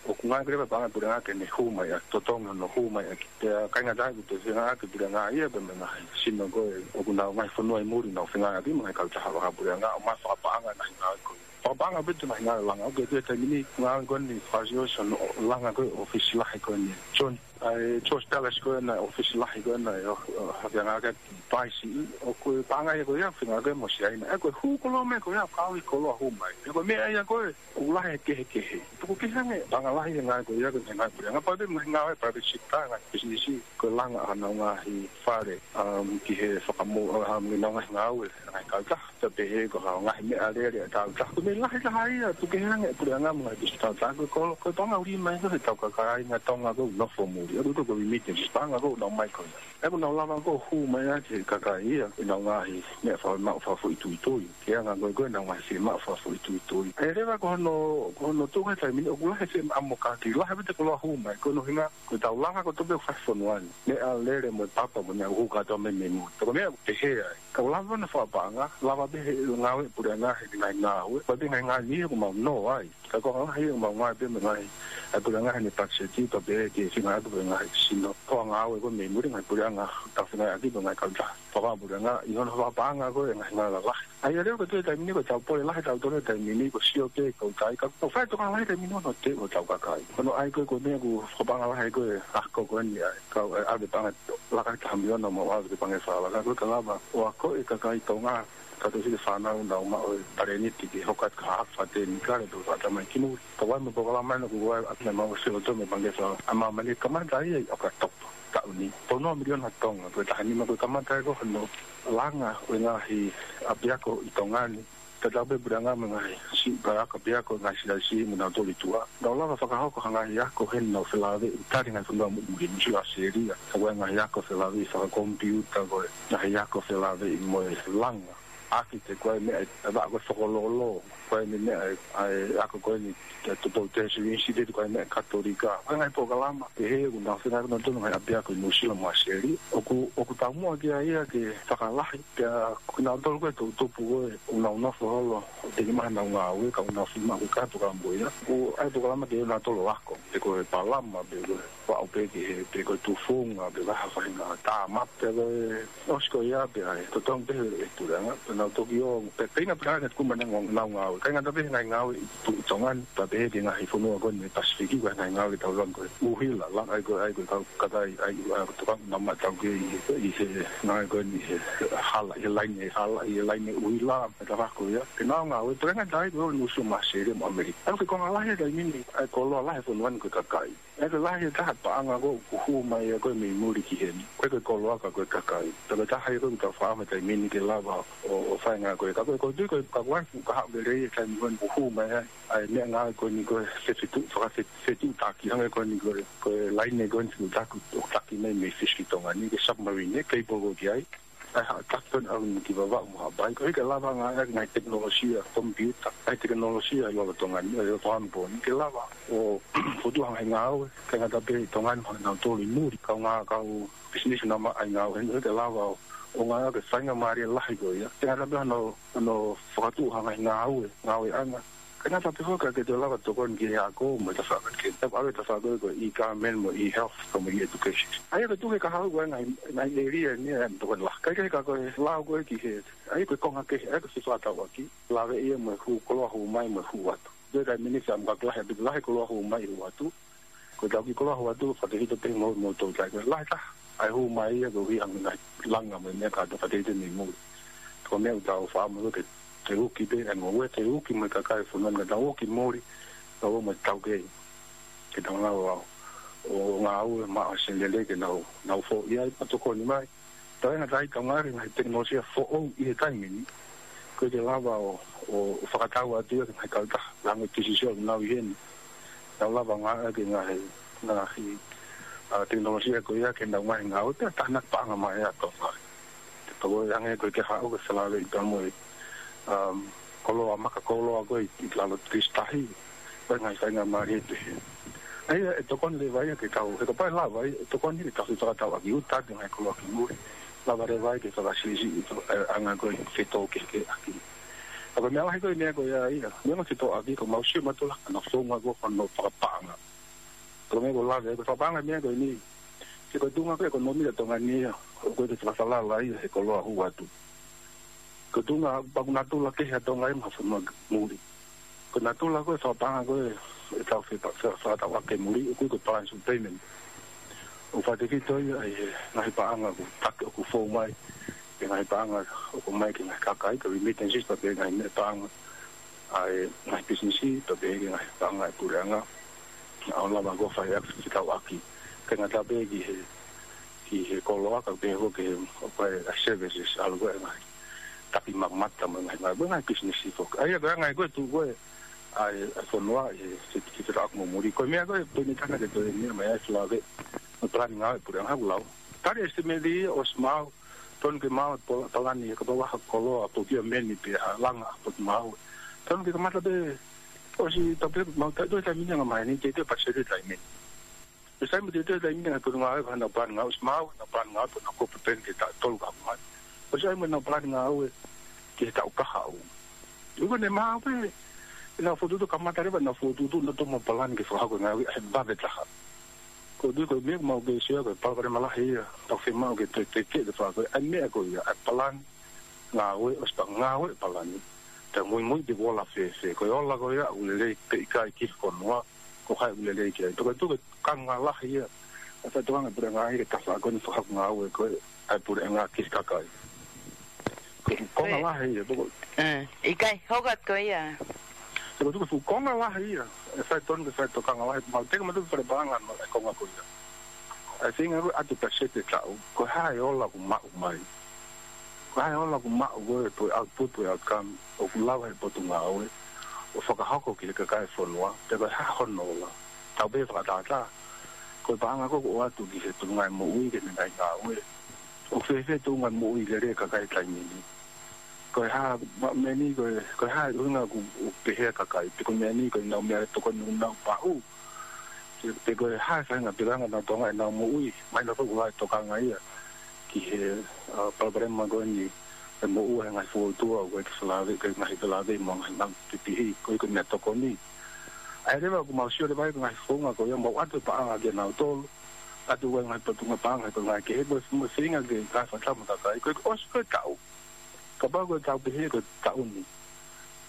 ʻOku ngāue leva e paʻanga ʻa e puleʻanga ke ne hū mai ʻaki, totongi hono hū mai ʻaki. Pea ʻikai ngata ai, ʻoku toe feinga ʻaki e puleʻanga ia, pea mo e ngaahi sino ko ē ʻoku nau ngaahi fonua ʻi muli, nau feinga ʻaki mo e ngaahi kautaha fakapuleʻanga, ʻo maʻu fakapaʻanga e ngaahi ngāue ko ia. Fakapaʻanga pē ʻetau ngaahi ngāue langa. ʻOku ʻi ai e taimi ni ngāue ko eni fakaʻosi ʻo langa ko ē ʻōfisi lahi ko eni. John, ʻa e George Palace ko ena, ʻōfisi lahi ko ena, ʻo, ʻo, hake anga ke paisi, ʻoku paʻanga ia ko ia, feinga ke mo Siaina. ʻE ko e hū koloa mai ko ia, kau ʻi koloa hū mai. ʻE ko e meʻa ia ko ē, ʻoku lahi e kehekehe. Tuku kehe ange, paʻanga lahi e ngāue ko ia, ko e ngāue puleʻanga, pea pehē mo e ngāue private sector, ngaahi business, ko e langa ʻa honau ngaahi fale, um, ki he fakamou, um, ʻenau ngaahi ngāue, ngaahi kautaha. Pea pehē ko ha ngaahi meʻalele ʻa e kautaha. Ko e meʻa lahi taha ia, tuku kehe ange puleʻanga mo e ngaahi business kautaha, ko e kolo, ko e paʻanga ʻuli mai ko ē ʻetau kakai ʻi Tonga ʻoku nofo muli. ʻOku ko e remittance, paʻanga ʻoku nau ō mai ko ia. ʻOku nau lava ko ē ʻo hū mai ʻa e kakai ia, ʻenau ngaahi meʻa fakamaʻu fakafoʻituitui. Ke anga ko ē ko ē ʻenau ngaahi fiemaʻu fakafoʻituitui. ʻE leva ko hono, ko hono tuʻu he taimi ni ʻoku lahi e fiemaʻu mo kātaki, lahi pē ʻete koloa hū mai, ko hono ʻuhinga, ko ʻetau langa kotoa pē ʻoku fai he fonua ni. Meʻalele mo e papa mo e meʻa ʻoku hū kātoa mei muli. Ko e meʻa ʻoku pehē ai. Ka ʻoku lava ʻo fakapaʻanga, lava pē he ngāue puleʻanga he ngaahi ngāue. Ko e ngaahi ngāue ni ʻoku mau nō ai. Ka ko e ngaahi ʻoku mau ngāue pē mo e ngaahi, ʻa e puleʻanga heʻene pakiseti, pea pehē ke feinga atu pē ngaahi sino. Ko e ngāue ko ē mei muli ngaahi puleʻanga, tau feinga atu pē ngaahi kautaha. Fakapaʻanga puleʻanga, ʻi hono fakapaʻanga ko ē ngaahi ngāue lalahi. ʻA ia leva ko e taimi ni ko ʻetau pole lahi ʻetau tolo taimi ni ko e sio pē ko tai ka ko e fai tokanga lahi taimi ni ʻo te ʻo tau kakai. Ko hono ʻai ko ē ko e meʻa ʻoku fakapaʻanga lahi ko ē ako ko eni ʻa e kau ʻe ʻave paʻanga laka ʻe taha miliona mo ʻave ki he Pangikē Fakaʻalakale ko e ke lava ʻo ako e kakai Tonga ka tau sili fānau nau maʻu e talēniti ke hoko atu ki ha faʻahinga tekinikale pe ko ha faʻahinga mai ki mui. Ka ʻoku ʻi ai mo e polokalama ʻoku ʻi ai ʻa e meʻa mau sio to me Pangikē Fakaʻalakale ʻa māmani kamata ia ʻi ʻOkatopa taʻu ni. Tau nō miliona Tonga, ko e taha nima ko e kamata ʻe ko hono langa ʻo e ngaahi ʻapiako ʻi Tonga ni. Tatau pē puleʻanga mo e ngaahi siʻi ʻapiako ngaahi siasi mo nau toli tuʻa. Nau lava fakahoko ha ngaahi ako heni nau felāveʻi tali ngaahi fonua mo muli mo sio ʻAositelēlia. Ka ko e ngaahi ako felāveʻi fakakomipiuta ko e ngaahi ako felāveʻi mo e langa. ʻAki te ko e meʻa ʻe vaʻa ko e fokololo, ko e meʻa ʻe, ʻa e ako ko eni, te tupou te sui insi te ko e meʻa Katolika. Ko e ngaahi polokalama, ʻe he ʻoku nau feinga ʻoku nau tonu ngaahi ʻapiako ʻi Nuʻusila mo ʻAositelēlia. ʻOku, ʻoku taumuʻa ki ai ia ke fakalahi, pea ko kinautolu ko ē toʻutupu ko ē, ʻoku nau nofo holo, ʻo teki mai honau ngāue, ka ʻoku nau fiemaʻu ke kātoa ka mo ia. ʻOku ʻi ai e polokalama ke ʻoua nautolu ako, pe ko e palama, pe ko e vaʻu pē ki he, pe ko e tufunga, pe ko ha faʻahinga tāmate, pe ko e ʻosi ko ia pē ʻa e totongi pē ʻe he puleʻanga, pea nau toki ō, pea, pea ʻi ai e puleʻanga ke tuku mai honau ngāue. ʻIkai ngata pē he ngaahi ngāue ʻi, ʻi Tonga ni, pea pehē ki he ngaahi fonua ko eni Pasifiki, ko e ngaahi ngāue ʻoku tau langa ko e ʻuhila, langa ai ko e, ai ko e kau kakai, ai, ai ko e tokanga nau maʻu taukei ʻi, ʻi he ngāue ko eni he hala, he laine, he hala, he laine ʻuhila, ʻa e tau ako ia. Pea nau ngāue, pea ʻikai ngata ai ko e ō Nuʻusila mo ʻAositelēlia mo ʻAmelika. ʻA ia ko e konga lahi ʻa e taimi ni, ʻa e koloa lahi e fonua ni ko e kakai. ʻA ia ko e lahi e taha paʻanga ko ē ʻoku hū mai ia ko ē mei muli ki heni. Ko e, ko e koloa ka ko e kakai. Pea ko e taha ia ko ē ʻoku tau fakaʻamu he taimi ni ke lava ʻo, ʻo fai e ngāue ko ē. Ka ko e, ko e tui ko e, ka ko e, ka haʻu lelei e taimi ko eni ʻoku hū mai ai ʻa e meʻangāue ko eni ko e fefetuʻu, fakafe-, fetuʻutaki. Hangē ko eni ko e, ko e laine ko eni fetuʻutaki, ʻoku taki mai mei Fisi ki Tonga ni, ko e submarine, cable ko ē ki ai. ʻA e haʻa taki ko eni ʻalu ki Vavaʻu mo Haʻapai, ko e ke lava ngāueʻaki ngaahi tekinolosia komipiuta, ngaahi tekinolosia ʻi lolotonga ni, ʻi lolotonga ni pō ni, ke lava ʻo fokotuʻu ha ngaahi ngāue, ʻikai ngata pē ʻi Tonga ni, mo kinautolu ʻi muli, kau ngā-, kau pisinisi naʻa maʻu ai ngāue, he ke lava ʻo, ʻo ngāueʻaki e faingamālie lahi ko ia, ʻikai ngata pē hono, hono fokotuʻu ha ngaahi ngāue, ngāueʻanga, ʻikai ngata pē foki ka ke toe lava tokoni ki he ako mo e tafaʻaki kehe. Tapu ʻave tafaʻaki ko e e-government mo e e-health ka mo e e-education. ʻA ia ko e tuʻu he kahaʻu ko e ngaahi, ngaahi ʻēlia ni ʻa e tokoni lahi. Kae kehe ka ko e lao ko ē ki he, ʻa ia ko e konga kehe, ʻa ia ko e fefakatauʻaki. Lave ia mo e hū koloa hū mai mo e hū atu. Pea ko e minisi ʻa e maka lahi, pea lahi koloa hū mai hū atu. Ko e tau kiʻi koloa hū atu, fakatefito pē mo, mo tau tai. Ko e lahi taha, ʻa e hū mai ia, ko e ʻuhi ʻa e ngaahi langa mo e meʻa kātoa fakatefito mei muli. Ko e meʻa ʻoku tau fakaʻamu ke, ke uki pē, ʻa e ngoue ke uki mo e kakai fonua ni ka tau ō ki muli, tau ō mo e taukei. Ke tau lava ʻo, ʻo ngāue maʻa se lele ke nau, nau foʻi ai, pea tokoni mai. Tau ʻai ngata ai tau ngāueʻaki e ngaahi tekinolosia foʻou ʻi he taimi ni. Ko e ke lava ʻo, ʻo, ʻo fakatau atu ia ki he ngaahi kautaha, lango tisisio nau ʻi heni. Tau lava ngāueʻaki e ngaahi, ngaahi, ʻa, tekinolosia ko ia ke nau ngaahi ngāue, pea tānaki paʻanga mai ʻa Tonga. Te tau ʻai ange ko e ke haʻu ke felāveʻi pea mo e, um, koloa maka koloa ko ē ʻi, ʻi lalo Tuʻi Tahi. Ko e ngaahi faingamālie pehē. ʻA ia, ʻe tokoni leva ia ke tau, he kapau ʻe lava ia, ʻe tokoni ke tau fefakatauʻaki ʻo tau ngaahi koloa ki muli. Lava leva ia ke fakasiʻisiʻi ʻa e, ʻa e ngaahi ko e fetōkehekeheʻaki. Ka ko e meʻa lahi ko e meʻa ko ia ia. Meʻa ko e fetōʻaki ko mau sio matula, ʻa e founga ko hono fakapaʻanga. Ko e meʻa ko e lave, ko e fakapaʻanga meʻa ko eni. He ko e tuʻunga ko e ʻekonōmika ʻa Tonga ni ia, ʻoku ʻikai ke fakafalala ia he koloa hū atu. Ko e tuʻunga pea ʻoku natula kehe ʻa Tonga ia mo ha fonua muli. Ko e natula ko ē fakapaʻanga ko ē ʻetau fe-, fe-, fakatau ake muli, ʻoku ʻi ai ko e balance of payment. ʻOku fakatefito ia ʻi he ngaahi paʻanga ʻoku taki ʻoku fou mai, ʻi he ngaahi paʻanga ʻoku ʻomai ki he ngaahi kakai, ko e remittances, pea pehē ki he ngaahi meʻa paʻanga ʻa e ngaahi pisinisi, pea pehē ki he ngaahi paʻanga ʻa e puleʻanga. ʻA ʻo lava ko ē fai ʻaki, fekauʻaki ʻaki. Kae ngata pē ki he, ki he koloa, kae pehē foki ki he, ʻoku ʻi ai e services, ʻalu ko ē ngaahi taki mamata mo e ngaahi, ngaahi, mo e ngaahi pisinisi foki. ʻA ia ko e anga ia ko ē tuʻu ko ē ʻa e, ʻa e fonua ʻi he, he, he fekauʻaki mo muli. Ko e meʻa ko ē, ko e meʻa tana ke toe meʻa mai ai Felāveʻi mo e palani ngāue ʻa e puleʻanga, haʻaku lau. Tali e estimate ia ʻosi maʻu, tonu ke maʻu e pola-, palani, kapau ʻoku ʻi ai ha koloa, procurement pe ha langa ʻa e potungāue. Tonu ke kamata pē, ʻosi tau pē, maʻu taʻe toe taimi ni ʻa e ngaahi maheni, teʻeki ke patiseti taimi ni. Pea sai mo e teʻeki taimi ni ʻa e potungāue, ko ʻenau palani ngāue ʻosi maʻu, ʻenau palani ngāue, pea nau kau pē peni ki he taʻu tolu kahaʻu mai. ʻOsi ʻi ai mo ʻenau palani ngāue ki he taʻu kahaʻu. ʻOku ne maʻu pē ʻenau fokotuʻutuʻu, kamata leva ʻenau fokotuʻutuʻu, nau toki maʻu palani ke fakahoko e ngāue ʻi he vave taha. Ko e tui ko e meʻa ʻoku mau kei sio ai ko e palopalema lahi ia, tau fiemaʻu ke toe, toe, toe, toe fakahoko ʻa e meʻa ko ia, ʻa e palani ngāue, ʻosi pea ngāue e palani. Pea muimui pe ʻoku ola fēfē, ko e ola ko ia ʻoku lelei pe ʻikai ki he fonua, ko hai ʻoku lelei ki ai. Pea ko e tui ko e tokanga lahi ia ʻa e faitoʻo ʻa e puleʻanga ia ke tau fakahoko ʻa e ngāue ko ē ʻa e puleʻanga ki he kakai. Ko e konga Ko e lahi ia, pea ko ʻE, ʻikai, hoko atu ko ia. Pea ko e tui ko e fuʻu konga lahi ia, ʻe fai tonu ke fai tokanga lahi, mau teke matu fale paʻanga no e konga ko ia. ʻA e feinga ko ē ʻatu patiseti e taʻu, ko e hā e ola ʻoku maʻu mai. Ko e hā e ola ʻoku maʻu ko ē, pe ko e output, pe ko e outcome, ʻoku lava ʻe he potungāue ʻo fakahoko ki he kakai e fonua, pe ko e hā hono ola. Tau pehē fakatātā, ko e paʻanga ko ē ʻoku ʻoatu ki he tuʻunga e moʻui, ki heʻene ngaahi ngāue. ʻOku fēfē e tuʻunga e moʻui lelei e kakai he taimi ni. Ko e hā, ma-, meʻa ni, ko e, ko e hā e ʻuhinga ʻoku, ʻoku pehē e kakai. Pe ko e meʻa ni, ko ʻenau meʻatokoni ʻoku nau maʻu. Pe, pe ko e hā e faʻahinga puleʻanga ʻoku nau tokanga ʻenau moʻui. Mahino foki ʻoku lahi e tokanga ia ki he, ʻa, palopalema ko eni, e moʻua ʻa e ngaahi fokoutua, ʻoku ʻikai ke felāveʻi, ʻikai ke ngaahi felāveʻi mo e ngaahi maʻu pipihi, ko e, ko e meʻatokoni. ʻA ia leva ʻoku mau sio leva ai ko e ngaahi founga ko ia, mau ʻatu e paʻanga kia nautolu, ʻatu e ngaahi potungāue paʻanga, ko e ngaahi kehe, mo e, mo e feinga ke kau fakataha mo e kakai, ko e, ʻosi ko ē e taʻu. Kapau ko e tau pehē ko e taʻu ni,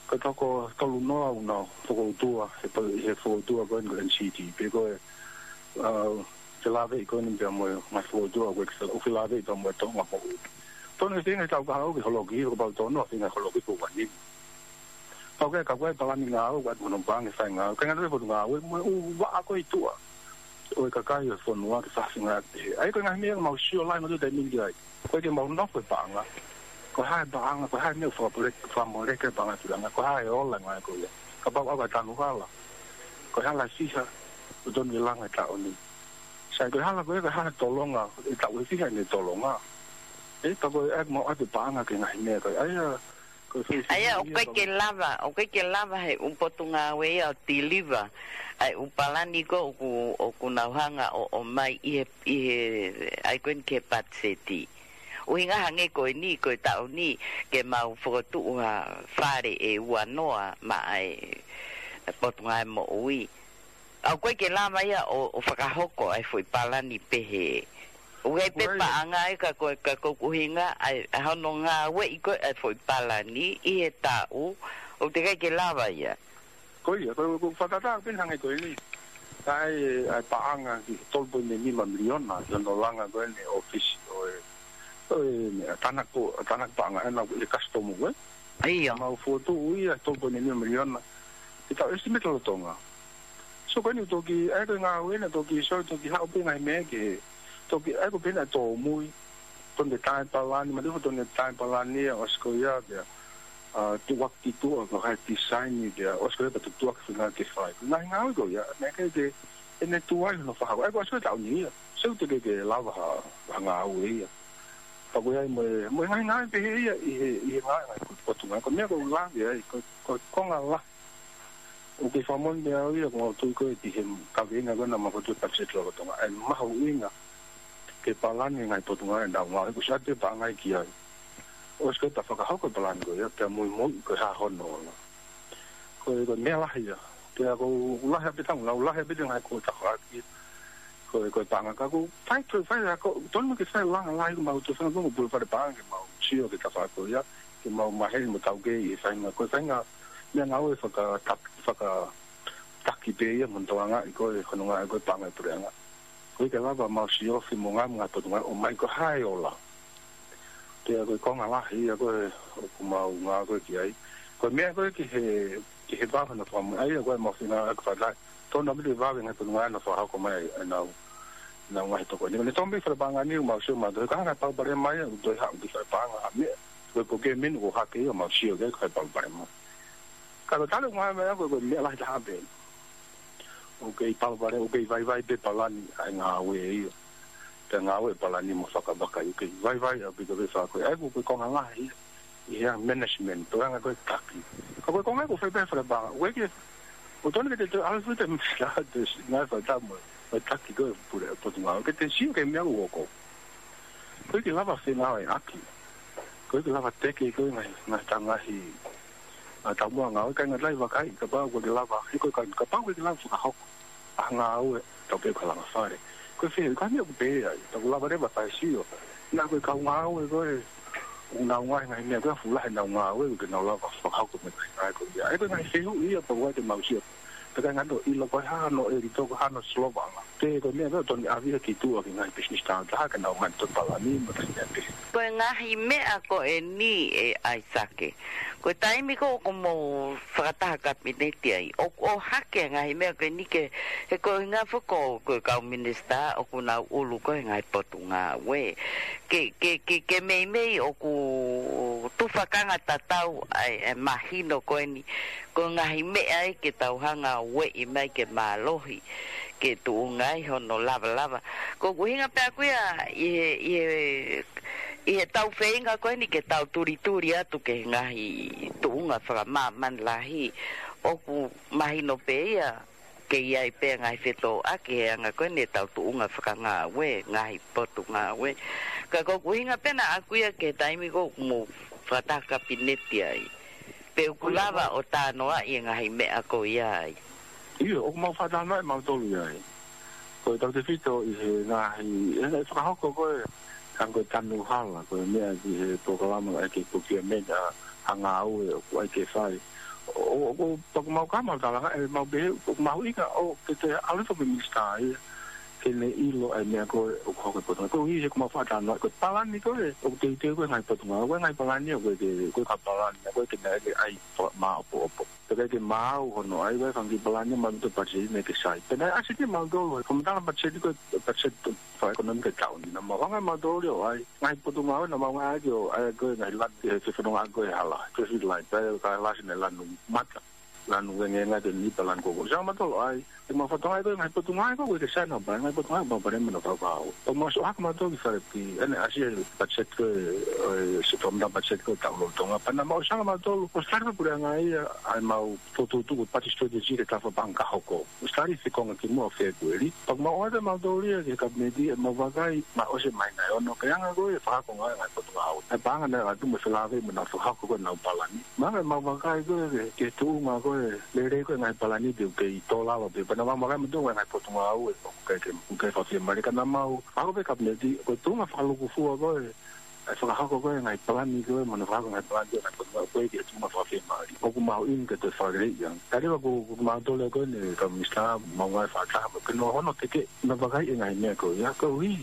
ko e toko tolu noa ʻoku nau fokoutua, he pa-, he fokoutua ko eni ko e N C D, pe ko e, ʻa, felāveʻi ko eni pea mo e ngaahi fokoutua ko ē ke felā-, ʻoku felāveʻi pea mo e toʻonga moʻui. Tonu e feinga e taʻu kahaʻu ke holoki, kapau toko noa feinga holoki ko ua ni. Pau ke ka ko e palani ngāue, ʻoku ʻatu hono paʻanga ke fai e ngāue, kae ngata pē e potungāue, mo e ʻū vaʻa ko ē ʻi tuʻa ʻo e kakai ʻo e fonua ke fafingaki. ʻA ia ko e ngaahi meʻa ʻoku mau sio lahi mo tau taimi ni ki ai. ʻOku ʻikai ke mau nofo he paʻanga. Ko e hā e paʻanga, ko e hā e meʻa ʻoku fakamole-, fakamoleki e paʻanga ʻa e puleʻanga, ko e hā e ola e ngāue ko ia. Kapau ʻoku ʻi ai ha tanu hala, ko e hala ʻe fiha ʻoku tonu ke langa he taʻu ni. Sai, ko e hala ko ia, ko e hala tolonga, ʻe taʻu ʻe fiha ʻene tolonga. ʻE, pea ko e ʻai mau ʻatu e paʻanga ki he ngaahi meʻa ko ia. ʻA ia, ko e fai ʻA ia, ʻoku ʻikai ke lava, ʻoku ʻikai ke lava ʻe he ʻū potungāue ia ʻo deliver ʻa e ʻū palani ko ē ʻoku, ʻoku nau hanga ʻo, ʻomai ʻi he, ʻi he, ʻa ia ko eni ki he patiseti. ʻUhinga hangē ko eni, ko e taʻu ni, ke mau fokotuʻu ha fale ʻe ua noa maʻa e, e Potungāue Moʻui. ʻOku ʻikai ke lava ia ʻo, ʻo fakahoko ʻa e foʻi palani pehē. ʻOku ʻi ai pē Ko e paʻanga ia ka ko, ka ko e ʻuhinga ʻa e, ʻa hono ngāueʻi ko ē ʻa e foʻi palani ʻi he taʻu, ʻoku teʻeki ai ke lava ia. Ko ia, ko, ko e fakatātā pē hangē ko eni. ʻA e, ʻa e paʻanga ki he tolu poini nima miliona, ki hono langa ko eni ʻōfisi ʻo e, ʻo e, meʻa, tānaki, tānaki paʻanga ʻe nau ʻi he kasitomu ko ē. ʻA ia. Mau fokotuʻu ia tolu poini nima miliona. Ke tau estimate lolotonga. So ko eni toki, ʻa ia ko e ngāue ena toki, so toki haʻu pē ngaahi meʻa ke, toki, ʻa ia ko e pehē ʻa e tōmui. Tonu ke tā e palani, ma tefo tonu ke tā e palani ia, ʻosi ko ia, pea, ʻa, tuʻuaki ki tuʻa, ko hai design ni, pea, ʻosi ko ia, pea tuʻuaki feinga ke fai. Ngaahi ngāue ko ia, meʻa ke, ke, ʻene tuai hono fakahoko. ʻA ia ko ʻosi ko e taʻu ni ia. So teʻeki ke lava ha, ha ngāue ia. Pea ko ia mo e, mo e ngaahi ngāue pehē ia, ʻi he, ʻi he ngaahi, ngaahi ko, ko e tuʻunga, ko e meʻa ko e lave ai, ko, ko, ko e konga lahi. ʻOku kei fakamolemole au ia, ko au tui ko ē ki he kaveinga ko ē naʻa mau fokotuʻu e patiseti lolotonga. ʻA e mahuʻinga ke palani e ngaahi potungāue ʻoku nau ngāue, ʻoku ʻosi ʻatu e paʻanga ia ki ai. ʻOsi ko ē pea fakahoko e palani ko ia, pea muimui ko e hā hono ola. Ko e, ko e meʻa lahi ia. Pea ko e lahi ʻaupito, lau lahi ʻaupito e ngaahi ko e tafaʻaki. Ko e, ko e paʻanga ka ko e fai, ko e fai a ko, tonu ke fai langa lahi ko mau tō fanga ko e pule fale paʻanga ke mau sio ki he tafaʻaki ko ia, ke mau maheni mo taukei ʻi he faʻahinga, ko e faʻahinga Meʻangāue fakata-, fakataki pē ia mo hono tokangaʻi ko ē, hono ngāue ko ē paʻanga ʻa e puleʻanga. ʻOku ʻikai ke lava mau siofi mo ngāue mo e ngaahi potungāue ʻo ʻomai ko e hā e ola. Pea ko e konga lahi ia ko ē ʻoku mau ngāue ko ē ki ai. Ko e meʻa ko ē ki he, ki he vave hono fakamoʻui, ʻa ia ko e mau feinga ʻaki fakataha. Tonu ʻaupito e vave e ngaahi potungāue naʻa nau fakahoko mai ʻenau, ʻenau ngaahi tokoni. Ko e tonu pē fale paʻanga ni ʻoku mau sio mautolu, ka hanga ʻe he palopalema ia ʻoku toe haʻu ki fale paʻanga ʻa meʻa. Ko e procurement ʻoku hake ia ʻoku mau sio ki ai ko e palopalema. Ka ko e tali ʻoku ngāue mai ʻa ko e, ko e meʻa lahi taha pē. ʻOku kei palopalema, ʻoku kei vaivai pē palani ʻa e ngāue ia. Pea ngāue palani mo fakavakai, ʻoku kei vaivai ʻaupito pē fakakoe. ʻA ia ko e, ko e konga lahi ia ʻi he management, ko e anga ko ē taki. Ka ko e konga ʻoku fai pē fale paʻanga. ʻOku ʻikai ke, ʻoku tonu ke te toe ʻalu futa misa te ngāue fakataha mo e taki ko ē pule potungāue. Ke te sio ki he meʻa ʻoku hoko. ʻOku ʻikai ke lava fengāueʻaki. ʻOku ʻikai ke lava teke ko ē ngaahi, ngaahi taha ngaahi, ʻa, taumuʻa ngāue, ʻikai ngata ai vakai, kapau ʻoku ʻikai ke lava, he ko e ka-, kapau ʻoku ʻikai ke lava fakahoko ʻa e ngāue, tau pehē ko e langa fale. Ko e fehuʻi, ko e meʻa ʻoku pehē ai, tau lava leva ʻo fai e sio. Naʻa ko e kau ngāue ko ē, ʻoku nau ngaahi ngaahi meʻa ko ē, fuʻu lahi ʻenau ngāue, ʻoku ʻikai ke nau lava fakahoko e meʻa ko ē. ʻA ia ko e ngaahi fehuʻi ia, pea ʻoku ʻikai te mau sio. Pea ʻikai ngata ʻo ʻilo ko e hā hono ʻelito, ko e hā hono solovaʻanga. Pea ko e meʻa pē ʻoku tonu ʻave ia ki tuʻa ki he ngaahi business tāutaha ke nau ngaahi tonu palani mo e ngaahi meʻa pehē. Ko e ngaahi meʻa ko eni ē ʻAisake. Ko e taimi ko ē ʻoku mou fakataha kapineti ai, ʻoku ʻohake e ngaahi meʻa ko eni ke, he ko e ʻuhinga foki ko e kau minisitā ʻoku nau ʻulu ko ē he ngaahi potungāue. Ke, ke, ke, ke meimei ʻoku tufakanga tatau ai e mahino ko eni. Ko e ngaahi meʻa ia ke tau hanga ʻo ueʻi mai ke mālohi, ke tuʻunga ai hono lavalava. Ko ʻeku ʻuhinga pē ʻaku ia ʻi he, ʻi he, ʻi he tau feinga ko eni ke tau tulituli atu ki he ngaahi tuʻunga fakamāmani lahi. ʻOku mahino pē ia ke ʻi ai pē ngaahi fetōʻaki he anga ko eni ʻetau tuʻunga fakangāue, ngaahi potungāue. Ka ko ʻeku ʻuhinga pē ʻaku ia ki he taimi ko ē ʻoku mou fakataha kapineti ai. Pe ʻoku lava ʻo talanoaʻi e ngaahi meʻa ko ia ai. ʻIo, ʻoku mau fakatalanoaʻi mautolu ia ai. Ko e tautefito ʻi he ngaahi, ʻi he ngaahi fakahoko ko ē, hangē ko e tanu hala, ko e meʻa ki he polokalama ʻa e ki he procurement ʻa, ʻa e ngāue ʻoku ʻai ke fai. ʻO, ʻo, ʻo, pea ʻoku mau ka mau talanga, ʻe mau pehē, ʻoku mahuʻinga ʻo ke toe ʻalu hifo mei he minisitā ia ke ne ʻilo ʻa e meʻa ko ē ʻoku hoko he potungāue. Koeʻuhi he ʻoku mau fakatalanoaʻi, ko e palani ko ē ʻoku teuteu ko ē he ngaahi potungāue, ko e ngaahi palani ia ko ē ke, ko e ka palani ia ko ē ke ne ʻai ke ʻai fa-, māʻopoʻopo. Pea ʻikai ke maau hono ʻai, ko e fanga kiʻi palani ia ʻoku mau ʻalu ʻo patiseti mei he ke sai. Pea naʻe ʻasi ʻe mautolu, he fakamatala patiseti ko ē, patiseti fakaʻekonōmika ʻa e taʻu ni, naʻa mau hanga ʻe mautolu ia ʻo ʻai ngaahi potungāue naʻa mau ngāueʻaki ʻo ʻai ko ē ngaahi lanu, he fefonongaʻaki ko ē hala, traffic light, pea ko e lasi naʻe lanu mata, lanu vengenga, te nipa, lanu koko. Sai mautolu ʻo ʻai, ʻe mau fakatokangaʻi ko e ngaahi potungāue ko ē ʻoku ʻikai ke sai naʻa mau ʻai, ngaahi potungāue ʻoku mau palani mo naʻa fakapahau. ʻOku mau ʻosi ʻohake mautolu ki fale pē, ʻene ʻasi e patiseti ko ē, ʻo e se fakamatala patiseti ko ē taʻu lolotonga. Pea naʻa mau ʻosi hanga ʻe mautolu ʻo study e puleʻanga ia, ʻa ʻemau fokotuʻutuʻu ko e budget strategy ki he tafa paʻanga ka hoko. ʻOsi study he konga kimuʻa ʻo Fēpueli. Pea ʻoku mau ʻoatu ʻe mautolu ia ki he kapineti ʻemau vakai, naʻe ʻosi e māhina ʻe ono, ki he anga ko ē e fakahoko e ngaahi potungāue. ʻA e paʻanga naʻe ʻatu mo e felāveʻi mo ʻenau fakahoko ko ē ʻenau palani. Mahalo ʻemau vakai ko ē ki he, ki he tuʻunga ko ē lelei ko ē e ngaahi palani pe ʻoku kei tō lalo pē. Pea naʻa mau vakai mautolu e ngaahi potungāue ʻoku ʻikai ke, ʻoku ʻikai fakafiemālie. Ka naʻa mau ʻohake pē ki he kapineti, ko e tuʻunga fakalūkufua ko ē ʻa e fakahoko ko ē e ngaahi palani ko ē, mo hono fakahoko e ngaahi palani ko ē, ngaahi potungāue ko ē ki he tuʻunga fakafiemālie. ʻOku mahuʻinga ke toe fakaleleiʻi ange. Ka leva ko, ko mautolu ko eni, kau minisitā, mau ngāue fakataha mo, ke ne hono teke, hono vakaiʻi e ngaahi meʻa ko ia, koeʻuhi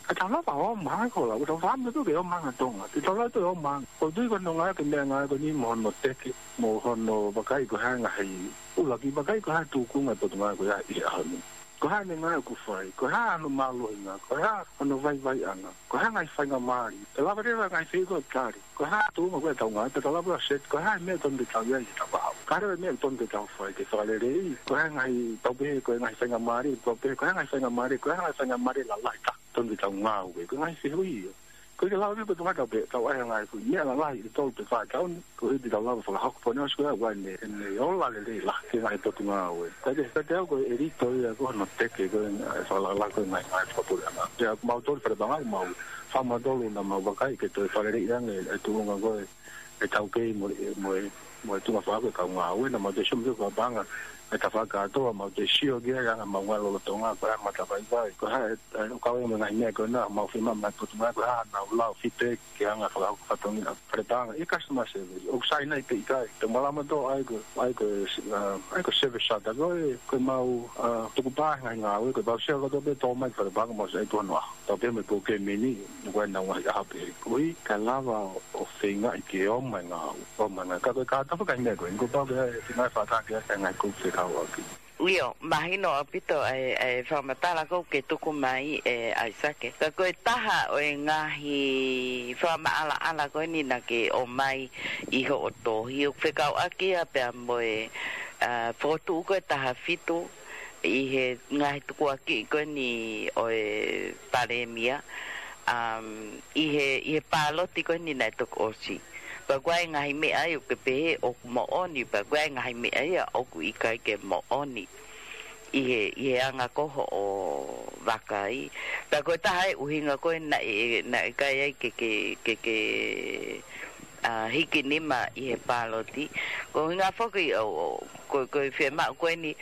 ka tau lava ʻo ʻomai ko la, ko tau fāmili ko ē ke ʻomai ʻa Tonga, ke tau lava ʻo ʻomai. ʻOku ou tui ko hono ngāue ki he meʻangāue ko eni mo hono teke, mo hono vakai ko e hā e ngaahi ʻuluaki, vakai ko e hā e tūkunga e potungāue ko ia ʻi he ʻaho ni. Ko e hā ʻene ngāue ʻoku fai, ko e hā hono mālohinga, ko e hā hono vaivaiʻanga, ko e hā e ngaahi faingamālie. Pea lava leva e ngaahi fehuʻi ko ē ʻo tali, ko e hā e tuʻunga ko ē ʻetau ngāue, pea tau lava ʻo set, ko e hā e meʻa ʻoku tonu ke tau ʻi ai ʻi he tafaʻaki. Ka leva e meʻa ʻoku tonu ke tau fai, ke fakaleleiʻi, ko e hā e ngaahi, tau pehē ko e ngaahi faingamālie, tau pehē ko e hā e ngaahi faingamālie, ko e hā e ngaahi faingamālie lalahi ʻoku tonu ke tau ngāue, ko e ngaahi fehuʻi ia. ʻOku ʻikai ke lava pē ʻo tau ngata pē, tau ʻai e ngaahi fehuʻi, meʻa lalahi ʻe tolu pe fā ʻi he taʻu ni, koeʻuhi te tau lava ʻo fakahoko. Pea ne ʻosi ko ia ʻa ʻene, ʻene ola lelei lahi ki he ngaahi potungāue. Ka te, ka te au ko e ʻelito ia ko hono teke ko ē, ʻa e fakalakalaka ko ē e ngaahi, ngaahi fakapuleʻanga. Pea ko mautolu fale paʻanga, mau, fā mautolu naʻa mau vakai ke toe fakaleleiʻi ange e tuʻunga ko ē e taukei mo, mo, mo e tuʻunga fakahoko e kau ngāue, naʻa mau toe sio mautolu fale paʻanga, ʻe tafaʻaki kātoa, mau toe sio ki ai, ʻa e anga ʻemau ngāue lolotonga, ko e hā e matavaivai, ko e hā e, e, ʻoku kau ai mo e ngaahi meʻa ko ena, mau fiemaʻu mei he Potungāue, ko e hā haʻanau lau feedback ki he anga fakahoko fatongia falepaʻanga ʻi he customer service. ʻOku sai nai pe ʻikai, te malama tō ai ko, ai ko, ʻa, ai ko e service charter ko ē, ko ʻemau, ʻa, tukupā he ngaahi ngāue, ko ʻemau sio kātoa pē tō mai ki falepaʻanga mau sai tuʻu hono ʻaho. Tau pē mo e pō ke meni, ʻoku ʻi ai ʻenau ngaahi ʻaho pehē. Koeʻuhi, kae lava ʻo feingaʻi ke ʻomai e ngāue, ʻomai e ngāue. Ka ko e kātoa fakaʻi meʻa ko ē, ʻoku pau ke ʻi ai e feingaʻi fakataha ke ʻi ai e ngaahi kau fekauʻaki. ʻIo, mahino ʻaupito ʻa e, ʻa e fakamatala ko ē ʻoku ke tuku mai ʻe ʻAisake. Ka ko e taha ʻo e ngaahi fakamaʻalaʻala ko eni naʻa ke ʻomai ʻi hoʻo tohi, ʻoku fekauʻaki ia pea mo e, ʻa, fokotuʻu ko ē taha fitu ʻi he ngaahi tukuakiʻi ko eni ʻo e Palēmia, um, ʻi he, ʻi he pāloti ko eni naʻe toki ʻosi. Pea ko e ngaahi meʻa ia ʻoku ke pehē ʻoku moʻoni, pea ko e ngaahi meʻa ia ʻoku ʻikai ke moʻoni ʻi he, ʻi he anga ko ē hoʻo vakai. Pea ko e taha e ʻuhinga ko ē naʻe, naʻe ʻikai ai ke, ke, ke, ke, ʻa, hiki nima ʻi he pāloti. Ko e ʻuhinga foki ʻo, ʻo, ko, ko e fiemaʻu ko eni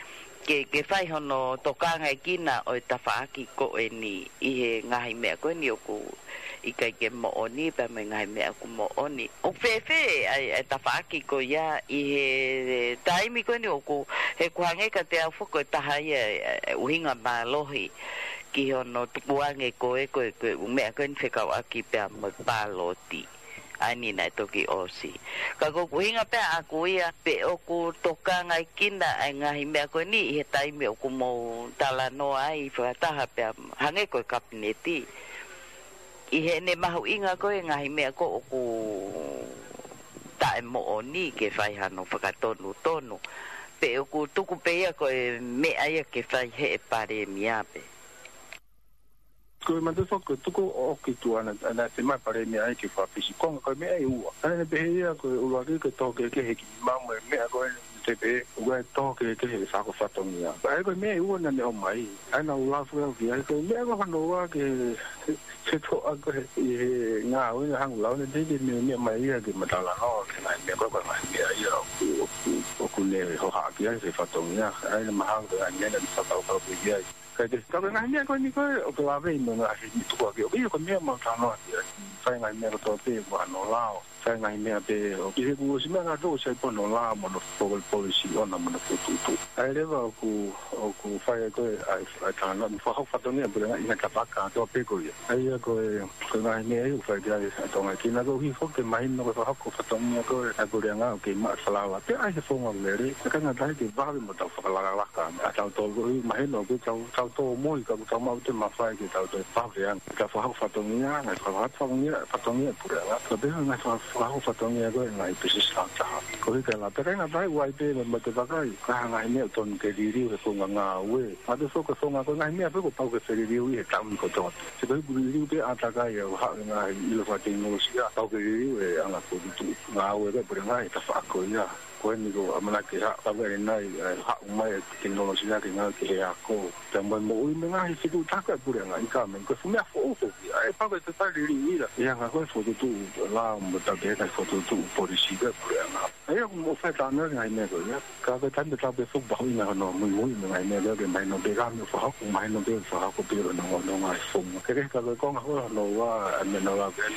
ke, ke fai hono tokangaʻi kina ʻo e tafaʻaki ko eni ʻi he ngaahi meʻa ko eni ʻoku ʻikai ke moʻoni, pea mo e ngaahi meʻa ʻoku moʻoni. ʻOku fēfē ʻa e, ʻa e tafaʻaki ko ia ʻi he taimi ko eni ʻoku, he ʻoku hangē kiate au foki ko e taha ia e, e ʻuhinga mālohi ki hono tukuange ko ē, ko ē, ko e ʻū meʻa ko eni fekauʻaki pea mo e pāloti ʻa eni naʻe toki ʻosi. Ka ko ʻeku ʻuhinga pē ʻaʻaku ia pe ʻoku tokangaʻi kina ʻa e ngaahi meʻa ko eni ʻi he taimi ʻoku mou talanoa ai fakataha pea hangē ko e Kapineti. ʻI heʻene mahuʻinga ko ē ngaahi meʻa ko ē ʻoku taʻemoʻoni ke fai hano fakatonutonu. Pe ʻoku tuku pē ia ko e meʻa ia ke fai ʻe he Palēmia pē. Ko e manatu foki ko e tuku ʻo ʻoki tuʻa naʻa, naʻe fiemaʻu ʻe he Palēmia ia ke fakapisi konga ko e meʻa ʻe ua. ʻA ia naʻe pehē ia ko e ʻuluaki ko e toho kehekehe he kiʻi mau mo e meʻa ko ē te pehē, ʻoku ʻi ai e toho kehekehe he fakahoko fatongia. ʻA ia ko e meʻa ʻe ua naʻa ne ʻomai. ʻA ia naʻa ku lau foki au ki ai ko e meʻa ko hono ua ke, ke toʻa ko ē ʻi he ngāue naʻa ku lau naʻe teʻeki ke ne meʻa mai ia ke ma talanoa ki he ngaahi meʻa ko ē, ko e ngaahi meʻa ia ʻoku, ʻoku, ʻoku ne hohaʻa ki ai he fatongia. ʻA ia naʻe mahalo ko e ngaahi meʻa naʻa ne fakakaukau ki ai. Ka ke, ka ko e ngaahi meʻa ko eni ko ē, ʻoku lave ʻi he ngaahi meʻa tukuakiʻi. ʻOku ʻi ai ko e meʻa mau talanoa ki ai. Fai ngaahi meʻa kotoa pē, ʻoku ʻi ai hono lao. Fai ngaahi meʻa pē, ʻoku ʻi he kuo ʻosi meʻa kātoa ʻoku sai pē hono lao mo hono po-, policy ʻoʻona mo hono fokotuʻutuʻu. ʻA ia leva ʻoku, ʻoku fai ko ē, ʻa e, ʻa e talanoa, mo e fakahoko fatongia puleʻanga ʻi he ngaahi tafaʻaki kotoa pē ko ia. ʻA ia ko e, ko e ngaahi meʻa ia ʻoku fai ki ai ʻa e Tonga ki ai, koeʻuhi foki ke mahino ko e fakahoko fatongia ko ē ʻa e puleʻanga ʻoku kei maʻu e falala. Pea ʻi ai e founga lelei, ʻikai ngata ai ke vave mo tau fakalakalaka ʻa tautolu koeʻuhi mahino ʻoku tau, tau tōmui ka ʻoku tau maʻu e mafai ke tau toe vave ange. Ka fakahoko fatongia, ngaahi fakahoko fatongia, fatongia puleʻanga. Ka pehē ngaahi fa-, fakahoko fatongia ko ē ngaahi business ʻa taha. Koeʻuhi ka la pehē ngata ai ʻoku ʻi ai pē mo e mate vakai, ka ngaahi meʻa ʻoku totonu ke liliu he founga ngāue. Mate foki e founga ko e ngaahi meʻa pē ʻoku pau ke feliliu ʻi he taimi kotoa. Sio ko e liliu pē ʻa takai ʻo haʻu e ngaahi ʻilo fakatekinolosia, pau ke liliu e anga fokotuʻutuʻu ngāue ko ē puleʻanga he tafaʻaki ko ia. Ko eni ko e ʻamanaki ha, ka vele nai, ʻe haʻu mai e tekinolosia ke ngāue ki he ako. Pea mo e moʻui mo e ngaahi fetuʻutaki ʻa e puleʻanga ʻi he taimi ko ē, fuʻu meʻa foʻou foki, ʻa e pau ke te fai liliu ia. ʻI he anga ko ē fokotuʻutuʻu lao mo e tapeʻe ngaahi fokotuʻutuʻu policy ʻa e puleʻanga. ʻA ia ʻoku mou fai talanoa ki he ngaahi meʻa ko ia. Ka ko e taimi tatau pē foki ʻoku mahuʻinga hono muimui mo e ngaahi meʻa ko ē ke mahino pē ka mo e fakahoko, mahino pē ʻoku fakahoko pē ʻi he ongo, ongo ngaahi founga. Ka ke, ka ko e konga ko ē hono ua, ʻa e meʻa naʻa ku lau ki ai,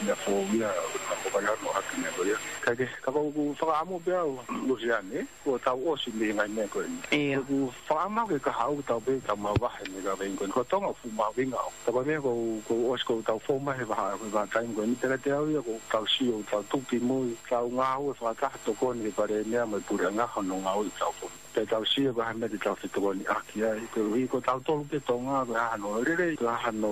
meʻa foʻou ia, ʻoku ou kole hono ʻohake meʻa ko ia. Ka ke, ka ko ʻeku fakaʻamu pē au, Lusiane, kuo tau ʻosi mei he ngaahi meʻa ko eni. ʻIo. ʻOku ou fakaʻamu ke kahaʻu tau pē tau mavahe mei he kaveinga ko eni. Ko Tonga ʻoku fuʻu mahuʻinga ʻo. Ka ko e meʻa ʻoku, ʻoku ʻosi ʻoku tau fou mai he vahaʻa, he vahaʻa taimi ko eni. Pea kiate au ia ʻoku tau sio, tau tuki mo e tau ngāue fakataha tokoni ki he Palēmia mo e puleʻanga hono ngāue ʻi he taʻu ko eni. Pea tau sio ko e hā e meʻa te tau fetokoniʻaki ai. Koeʻuhi ko tautolu pē Tonga, ko e hā hano lelei, ko e hā hano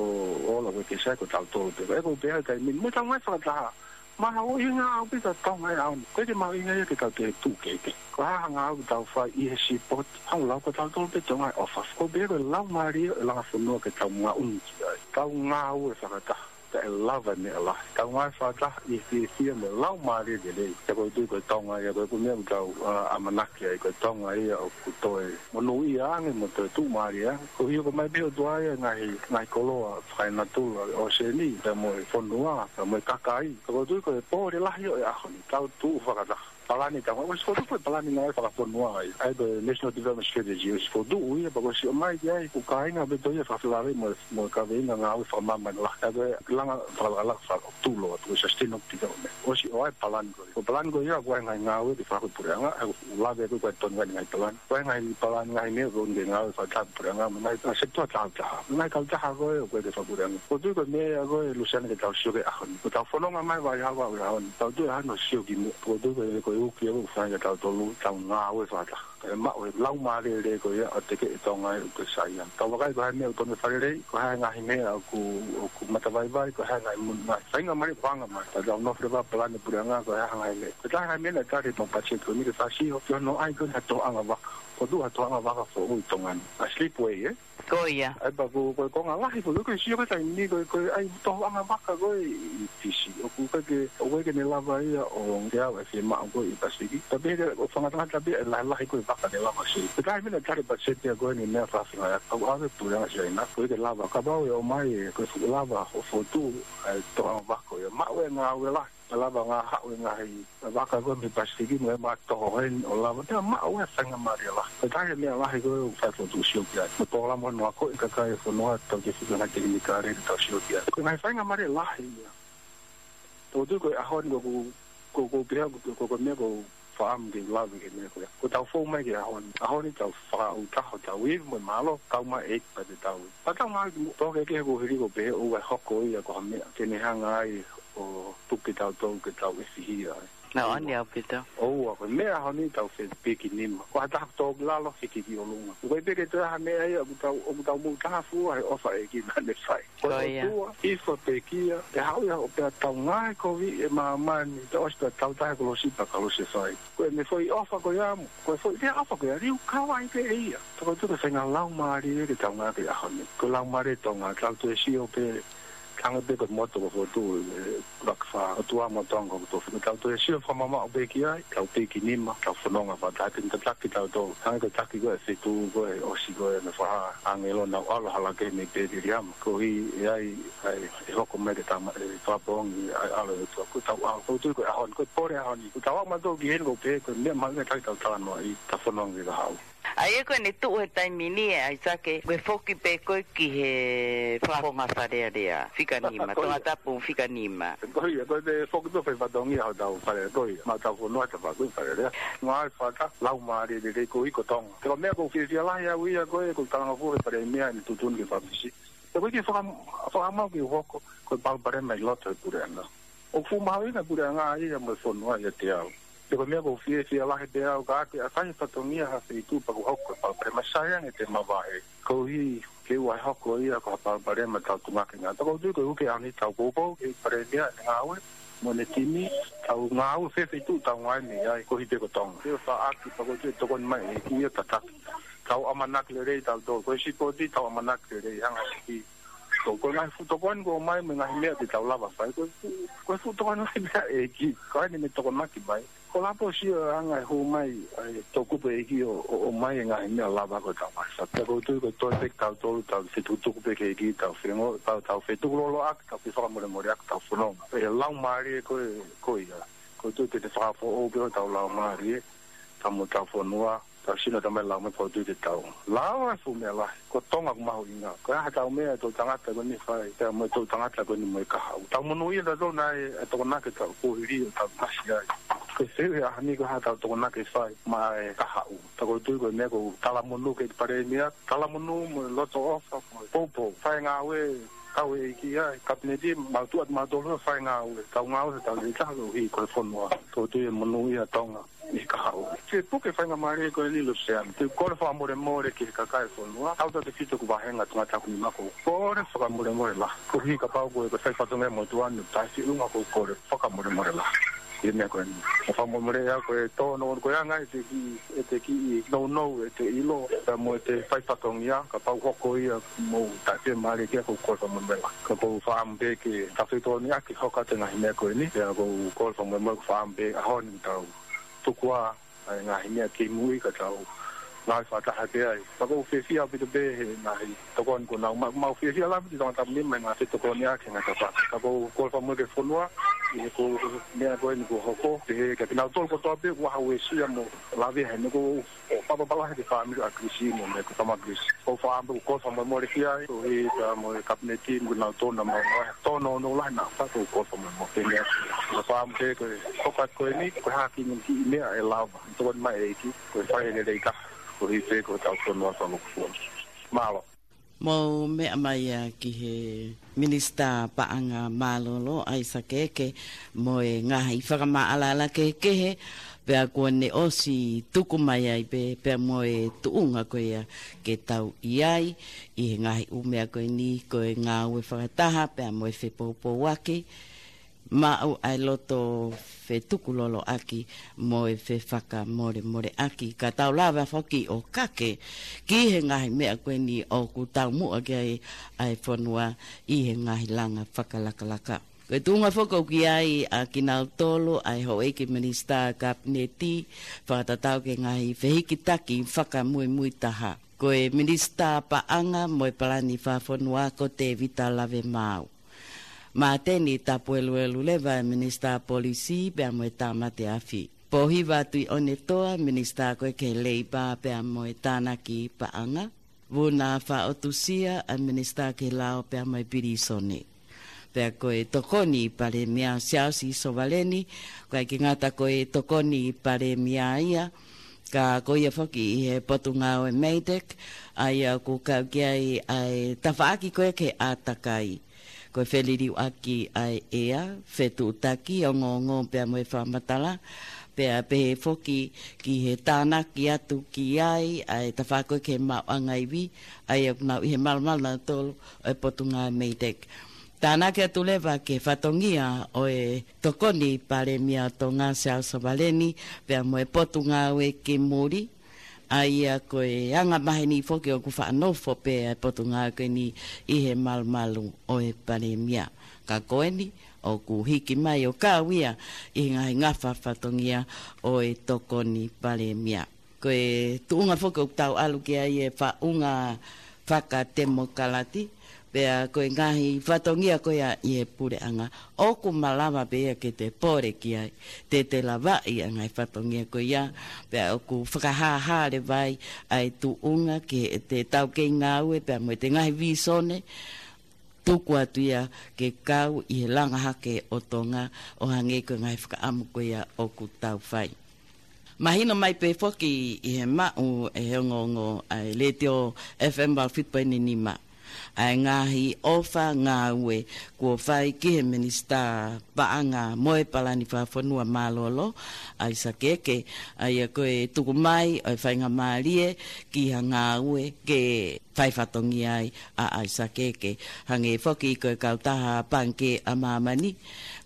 ola ʻoku ke sai ko tautolu pē. Ko e ko pē ai kai mini. Mo tau ngāue fakataha. Mahuʻinga ʻaupito Tonga ʻi he ʻaho ni. ʻOku ʻikai ke mahuʻinga ia ke tau toe tuʻu kehekehe. Ko e hā ha ngāue ʻoku tau fai ʻi he sipoti. Hangē ko tautolu pē Tonga ʻi he ʻofa. Ko e pehē ko e laumālie ʻo e langa fonua ke tau ngaʻunu ki ai. Tau ngāue fakataha. Kae lava e meʻa lahi. Tau ngāue fakataha ʻi he fiefia mo e laumālie lelei. Pea ʻoku ou tui ko e Tonga ia, ko e meʻa ʻoku tau, ʻa, ʻamanaki ai, ko e Tonga ia ʻoku toe monūʻia ange mo toe tuʻumālie ange. Koeʻuhi ʻoku ʻomai pē ʻe he ʻOtua ia e ngaahi, ngaahi koloa fakaenatula ʻo e ʻōseni, pea mo e fonua, pea mo e kakai. Pea ʻoku ou tui ko e pole lahi ʻo e ʻaho ni, tau tuʻu fakataha. palani tau, ʻosi fokotuʻu ko e palani ngāue fakafonua ia. ʻA ia ko e National Development Strategy, ʻosi fokotuʻu ia, pea kuo ʻosi ʻomai ki ai, ko e kāinga pē ʻoku tau ia fakafelāveʻi mo, mo e kaveinga ngāue fakamamahi lahi. ʻA ia ko e langa fakalakalaka fakatulo atu, ko e sustainable development. ʻOsi ʻomai e palani ko ia. Ko e palani ko ia, ko e ngaahi ngāue ke fakahoko ʻe he puleʻanga, ʻa ia ʻoku lave ko ē ko e tonu ngaahi palani. Ko e ngaahi palani ngaahi meʻa, ko e ngaahi ngāue fakataha puleʻanga, mo e ngaahi, ʻa, sekitoa tāutaha. Ngaahi kautaha ko ē, ʻoku ʻikai ke fakapuleʻanga. Ko e tuʻu ko e meʻa ko ē Luseane ke tau sio ki ai he ʻaho ni. Ko ʻetau fononga mai he vahaʻa ʻaho ni. Tau tuʻu he ʻaho ni ʻo sio ki muʻa. Ko e tuʻu ko e, ko e uki ʻoku fai kia tautolu, tau ngāue fakataha. Kae maʻu e laumālie lelei ko ia ʻo tekeʻi e Tonga ʻi he ʻū saiʻia. Tau vakai ko e hā e meʻa ʻoku tonu ke fakalelei, ko e hā e ngaahi meʻa ʻoku, ʻoku matavaivai, ko e hā e ngaahi mo-, ngaahi faingamālie ʻoku hanga mai. Tau nofo leva palani puleʻanga, ko e hā e ngaahi meʻa. Ko e taha e ngaahi meʻa naʻe tali ʻe he patiseti ko eni ke fasi ʻo, ke ʻoange ai ko e hā e toʻonga vaka. Ko e tuʻu ha toʻonga vaka foʻou ʻi Tonga ni. ʻA e slipway, ē? Ko ia. ʻA ia pea ko, ko e konga lahi ko ē, ko e sio ko e taimi ni ko e, ko e ʻai toʻonga vaka ko ē ʻi Fisi. ʻOku ʻikai ke, ʻoku ʻikai ke ne lava ia ʻo teau e fiemaʻu ko ē ʻi Pasifiki. Tapu pē ʻoku fakangatangata pē e lahilahi ko ē vaka ne lava sio. Ko e taha e meʻa naʻe tali ʻe he patiseti ko eni meʻa fakafinga ia. Kau ʻave puleʻanga Siaina. ʻOku ʻikai ke lava. Kapau ʻe ʻomai e, ko e fuʻu lava ʻo fokotuʻu e toʻonga vaka ko ia. Maʻu e ngāue lahi. Lava ngā haʻu e ngaahi vaka ko ē mei Pasifiki mo e mātoho heni ʻo lava. Pea maʻu e faingamālie lahi. Ko e taha e meʻa lahi ko ē ʻoku fai fokotuʻu sio ki ai. Mo e polokalama ʻo akoʻi e kakai e fonua, tau ke fika ngaahi tekinikale ke tau sio ki ai. Ko e ngaahi faingamālie lahi ia. Tau tuʻu ko e ʻaho ni ko, ko, ko, ko pehē ko, ko, ko e meʻa ko faʻam ke lave ki he meʻa ko ia. Ko ʻetau fou mai ki he ʻaho ni. ʻAho ni tau fakaʻuta hotau ivi mo e mālō, tau mai e pa te tau. Pea tau ngāue ki muʻa, tau ke ke ko hili ko pehē ʻoua ʻe hoko ia ko ha meʻa ke ne hanga ai ʻo tuku kitautolu ke tau ʻefihia ai. Nā, ʻoua. Ani au pita. ʻOua, ko e meʻa ʻaho ni tau fepiki nima. Ko ha taha tō ki lalo, hiki ki ʻolunga. Ko e pē ke toe ha meʻa ia, ʻoku tau, ʻoku tau mou taha fua he ʻofa ʻa e ʻEiki naʻa ne fai. Ko ia. Ko e ʻOtua, ʻi he pekia, ʻe haʻu ia ʻo pea tau ngāue kovi ʻi māmani, tau ʻosi pea tau tahe kolosi pea kolosi fai. Ko e meʻa foʻi ʻofa ko ia mo, ko e foʻi lea ʻofa ko ia, liu kau ai pē ʻe ia. Tau tuku e faʻahinga laumālie ke tau ngāue ki he ʻaho ni. Ko e laumālie Tonga, tau toe sio pē, hangē pē ko e moto ko ē fokotuʻu, ē, Lakafā, ʻOtua mo Tonga ko e tofu. Tau toe sio fakamamaʻu pē ki ai, tau piki nima, tau fononga fakataha, tataki tautolu. Hangē ko e taki ko ē ʻa e feituʻu ko ē ʻosi ko ē naʻe fakahā ʻe he ʻāngelo naʻa nau ʻalu hala kehe mei Pēteliama. Koeʻuhi ʻe ʻi ai, ʻa e, ʻe hoko mai ke tama, ʻe fakapoongi ʻa e ʻAlo ʻo e ʻOtua. Ko ʻetau ʻalu, ko e tuʻu ko ē ʻaho ni, ko e pole ʻaho ni. Ko ʻetau ʻalu mautolu ki heni ʻoku pehē ko e meʻa mahuʻinga ke tau talanoaʻi, tau fononga ki he kahaʻu. ʻA ia ko eni tuʻu he taimi ni ē ʻAisake, ko e foki pē ko ē ki he fakafofonga Fale Alea, fika nima, ko ia. Tongatapu fika nima. Ko ia, ko e foki pē fai fatongia hotau fale, ko ia. Maʻa hotau fonua tafaku Fale Alea. Ngāue fakataha, laumālie lelei ko ē ko Tonga. Ko e meʻa ʻoku ou fiefia lahi au ia ko ē, ʻoku ou talangofua ki he Palēmia ʻene tuʻutuʻuni ke fakafisi. Ko e kiʻi faka-, fakamaau ke u hoko, ko e palopalema ʻi loto he puleʻanga. ʻOku fuʻu mahuʻinga e puleʻanga ia mo e fonua ʻiate au. Pea ko e meʻa ʻoku ou fiefia lahi pē au ka ʻoku ʻikai ke fai fatongia ha feituʻu pea kuo hoko e palopalema, sai ange te mavahe. Koeʻuhi ke ʻoua ʻe hoko ia ko ha palopalema tau tungake ngā. Tau tui ko e uke ʻaho ni tau poupou ki he Palēmia ʻene ngāue mo ʻene timi, tau ngāue fē feituʻu tau ngāue mei ai, koeʻuhi pē ko Tonga. Ke faʻaki pea ko e tokoni mai e ʻEiki ia tataki. Tau ʻamanaki lelei tautolu, ko e sipoti tau ʻamanaki lelei hanga ki. Ko, ko e ngaahi fuʻu tokoni kuo ʻomai mo e ngaahi meʻa te tau lava fai, ko e fuʻu, ko e fuʻu tokoni lahi meʻa ʻa e ʻEiki, ko ʻene tokonaki mai. Ko e lapo sio anga e hū mai, ʻa e toʻukupu ʻa e ʻEiki ʻo, ʻo, ʻomai e ngaahi meʻa lava ko ē tau ngaahi fata. Ko e tui ko e toe pē tautolu, tau fetukutuku pē ki he ʻEiki, tau fengo, tau, tau fetukuloloʻaki, tau fefakamolemoleʻaki, tau fononga. E laumālie ko ē, ko ia. Ko e tui te te fakafoʻou pē hotau laumālie, tau mo hotau fonua, tau sino tamai lau mai ko e tui te tau. Lau e fuʻu meʻa lahi, ko Tonga ʻoku mahuʻinga. Ko e hā hotau meʻa ʻa e toʻu tangata ko eni fai, pea mo e toʻu tangata ko eni mo e kahaʻu. Tau monūʻia tautolu naʻe, ʻa e tokonaki ʻetau kuo hili ʻo tau masi ai. Ko e fehuʻi he ʻaho ni ko e hā hotau tokonaki ʻe fai maʻa e kahaʻu. Tau tui ko e meʻa ʻoku talamonū ki he Palēmia, talamonū mo e loto ʻofa, mo e poupou. Fai ngāue, kau e ʻEiki ia, Kapineti, mau tuʻu atu mautolu fai ngāue. Tau ngāue, tau lelei taha koeʻuhi ko e fonua. Tau tui ʻe monūʻia Tonga ʻi he kahaʻu. Ke puke faingamālie ko eni Luseane. Te u kole fakamolemole ki he kakai e fonua. Tautautefito ʻeku vāhenga tangata ʻoku nima ʻoku ou kole fakamolemole lahi. Koeʻuhi kapau ko e, ko e fai fatongia motuʻa ni, taʻefeʻunga ʻoku ou kole fakamolemole lahi. ʻI he meʻa ko eni. ʻOku fakamolemole ʻa ko e tō no ko e anga ʻete kiʻi, ʻete kiʻi nounou, ʻete ʻilo, pea mo ʻete fai fatongia, kapau hoko ia mo taʻefeʻunga mai ki ai ʻoku ou kole fakamolemole lahi. Ka ʻoku ou fakaʻamu pē ke tau fetokoniʻaki hoko atu e ngaahi meʻa ko eni. Pea ʻoku ou kole fakamolemole ʻoku ou fakaʻamu pē ʻaho ni tau tuku ā ʻa e ngaahi meʻa ki mui ka tau ngāue fakataha pē ai. Pea ʻoku ou fiefia ʻaupito pē he ngaahi tokoni kuo nau ma-, mau fiefia lahi ʻi Tongatapu ni mo e ngaahi fetokoniʻaki ngaahi tafaʻaki. Pea ʻoku ou kole fakamolemole ki he fonua, ʻI he ko e meʻa ko eni kuo hoko, pehē kia kinautolu kotoa pē ʻoku ʻi ai ha uesia mo e lavea heni, ko e ʻoatu pē pala he fāmili ʻa Chris mo e meʻa ko e tama Chris. Ko e fāmili ʻoku ou kole fakamolemole ki ai, koeʻuhi pea mo e Kapineti mo kinautolu naʻa mau ʻai tōnounou lahi naʻa faʻa ʻoku ou kole fakamolemole ki ai. Ko e fāmili ko e hoko atu ko eni, ko e hā ha kiʻi meʻa ʻe lava. Tokoni mai ʻEiki, ko e fai e lelei ka, koeʻuhi pē ko e tau tonu atu ʻa Lukufua. Mālō. Mou meʻa mai ia ki he Minisitā Paʻanga Mālōlō, ʻAisake Eke, mo e ngaahi fakamaʻalaʻala kehekehe, pea kuo ne ʻosi tuku mai ai pē, pea mo e tuʻunga ko ia ke tau ʻi ai, ʻi he ngaahi ʻū meʻa ko eni, ko e ngāue fakataha, pea mo e fepoupouaki, maʻu ʻa e loto fetukuloloʻaki mo e fefakamolemoleʻaki, ka tau lava foki ʻo kake ki he ngaahi meʻa ko eni ʻoku taumuʻa ki ai ʻa e fonua ʻi he ngaahi langa fakalakalaka. Ko e tuʻunga foki ʻoku ʻi ai ʻa kinautolu ʻa e houʻeiki minisitā kapineti fakatatau ki he ngaahi fehikitaki fakamuimui taha. Ko e Minisitā Paʻanga mo e Palani Fakafonua ko Tēvita Lavemaau. Māteni Tapueluelu Leva, Minisitā Polisi pea mo e Tāmate Afi. Pōhiva Tuʻiʻonetoa, Minisitā ko ē ki he Leipa pea mo e Tānaki Paʻanga. Vuna Faʻotusia, ʻa e Minisitā ki he Lao pea mo e Pilīsone. Pea ko e Tokoni Palēmia Siaosi Sovaleni, ko e ʻikai ke ngata ko e Tokoni Palēmia ia, ka ko ia foki ʻi he Potungāue MEIDECC, ʻa ia ʻoku kau ki ai ʻa e tafaʻaki ko ē ki he ʻātakai. Ko e feliliuaki ʻa e ʻea, fetuʻutaki, ongoongo pea mo e fakamatala, pea pehē foki ki he tānaki atu ki ai ʻa e tafaʻaki ko ē ki he maʻuʻanga ivi, ʻa ia ʻoku nau ʻi he malumalu nautolu ʻo e Potungāue MEIDECC. Tānaki atu leva ki he fatongia ʻo e Tokoni Palēmia ʻo Tonga Siaosi Sovaleni, pea mo e Potungāue ki Muli, ʻa ia ko e anga maheni foki ʻoku faʻa nofo pē ʻa e Potungāue ko eni ʻi he malumalu ʻo e Palēmia. Ka ko eni, ʻoku hiki mai ʻo kau ia ʻi he ngaahi ngafa fatongia ʻo e Tokoni Palēmia. Ko e tuʻunga foki ʻoku tau ʻalu ki ai e faʻunga fakatemokalati, pea ko e ngaahi fatongia ko ia ʻi he puleʻanga, ʻoku malava pē ia ke te pole ki ai, te te lavaʻi ʻa e ngaahi fatongia ko ia, pea ʻoku fakahāhā leva ai ʻa e tuʻunga ki heʻete taukei ngāue, pea mo ʻete ngaahi vīsone, tuku atu ia ke kau ʻi he langa hake ʻo Tonga ʻo hangē ko e ngaahi fakaʻamu ko ia ʻoku tau fai. Mahino mai pē foki ʻi he maʻu ʻe he ongoongo ʻa e Letiō F M valu fitu poini nima, ʻa e ngaahi ʻofa ngāue kuo fai ki he Minisitā Paʻanga mo e Palani Fakafonua Mālōlō, ʻAisake Eke, ʻa ia ko e tuku mai ʻo e faingamālie ki ha ngāue ke fai fatongia ai ʻa ʻAisake Eke. Hangē foki ko e kautaha Pangikē ʻa Māmani,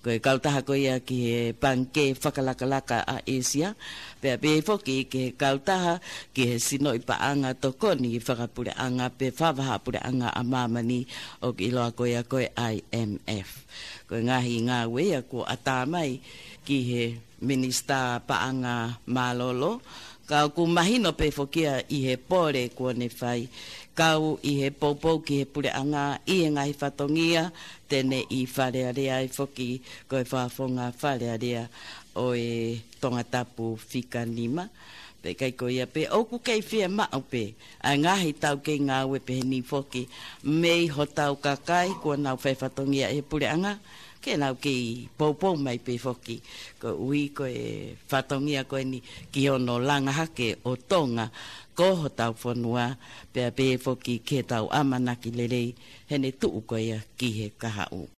ko e kautaha ko ia ki he Pangikē Fakalakalaka ʻa ʻĒsia, pea pehē foki ki he kautaha ki he sinoʻi paʻanga tokoni fakapuleʻanga pe fakavahaʻapuleʻanga ʻa Māmani ʻoku ʻiloa ko ia ko e I M F. Ko e ngaahi ngāue ia kuo ʻatā mai ki he Minisitā Paʻanga Mālōlō, ka ʻoku mahino pē foki ia ʻi he pole kuo ne fai, kau ʻi he poupou ki he puleʻanga ʻi he ngaahi fatongia te ne ʻi Fale Alea ai foki, ko e fakafofonga Fale Alea ʻo e Tongatapu fika nima. Pea ʻikai ko ia pē, ʻoku kei fiemaʻu pē ʻa e ngaahi taukei ngāue peheni foki mei hotau kakai kuo nau fai fatongia ʻi he puleʻanga, ke nau kei poupou mai pē foki, koeʻuhi ko e fatongia ko eni ki hono langa hake ʻo Tonga ko hotau fonua, pea pehē foki ki heʻetau ʻamanaki lelei heʻene tuʻu ko ia ki he kahaʻu.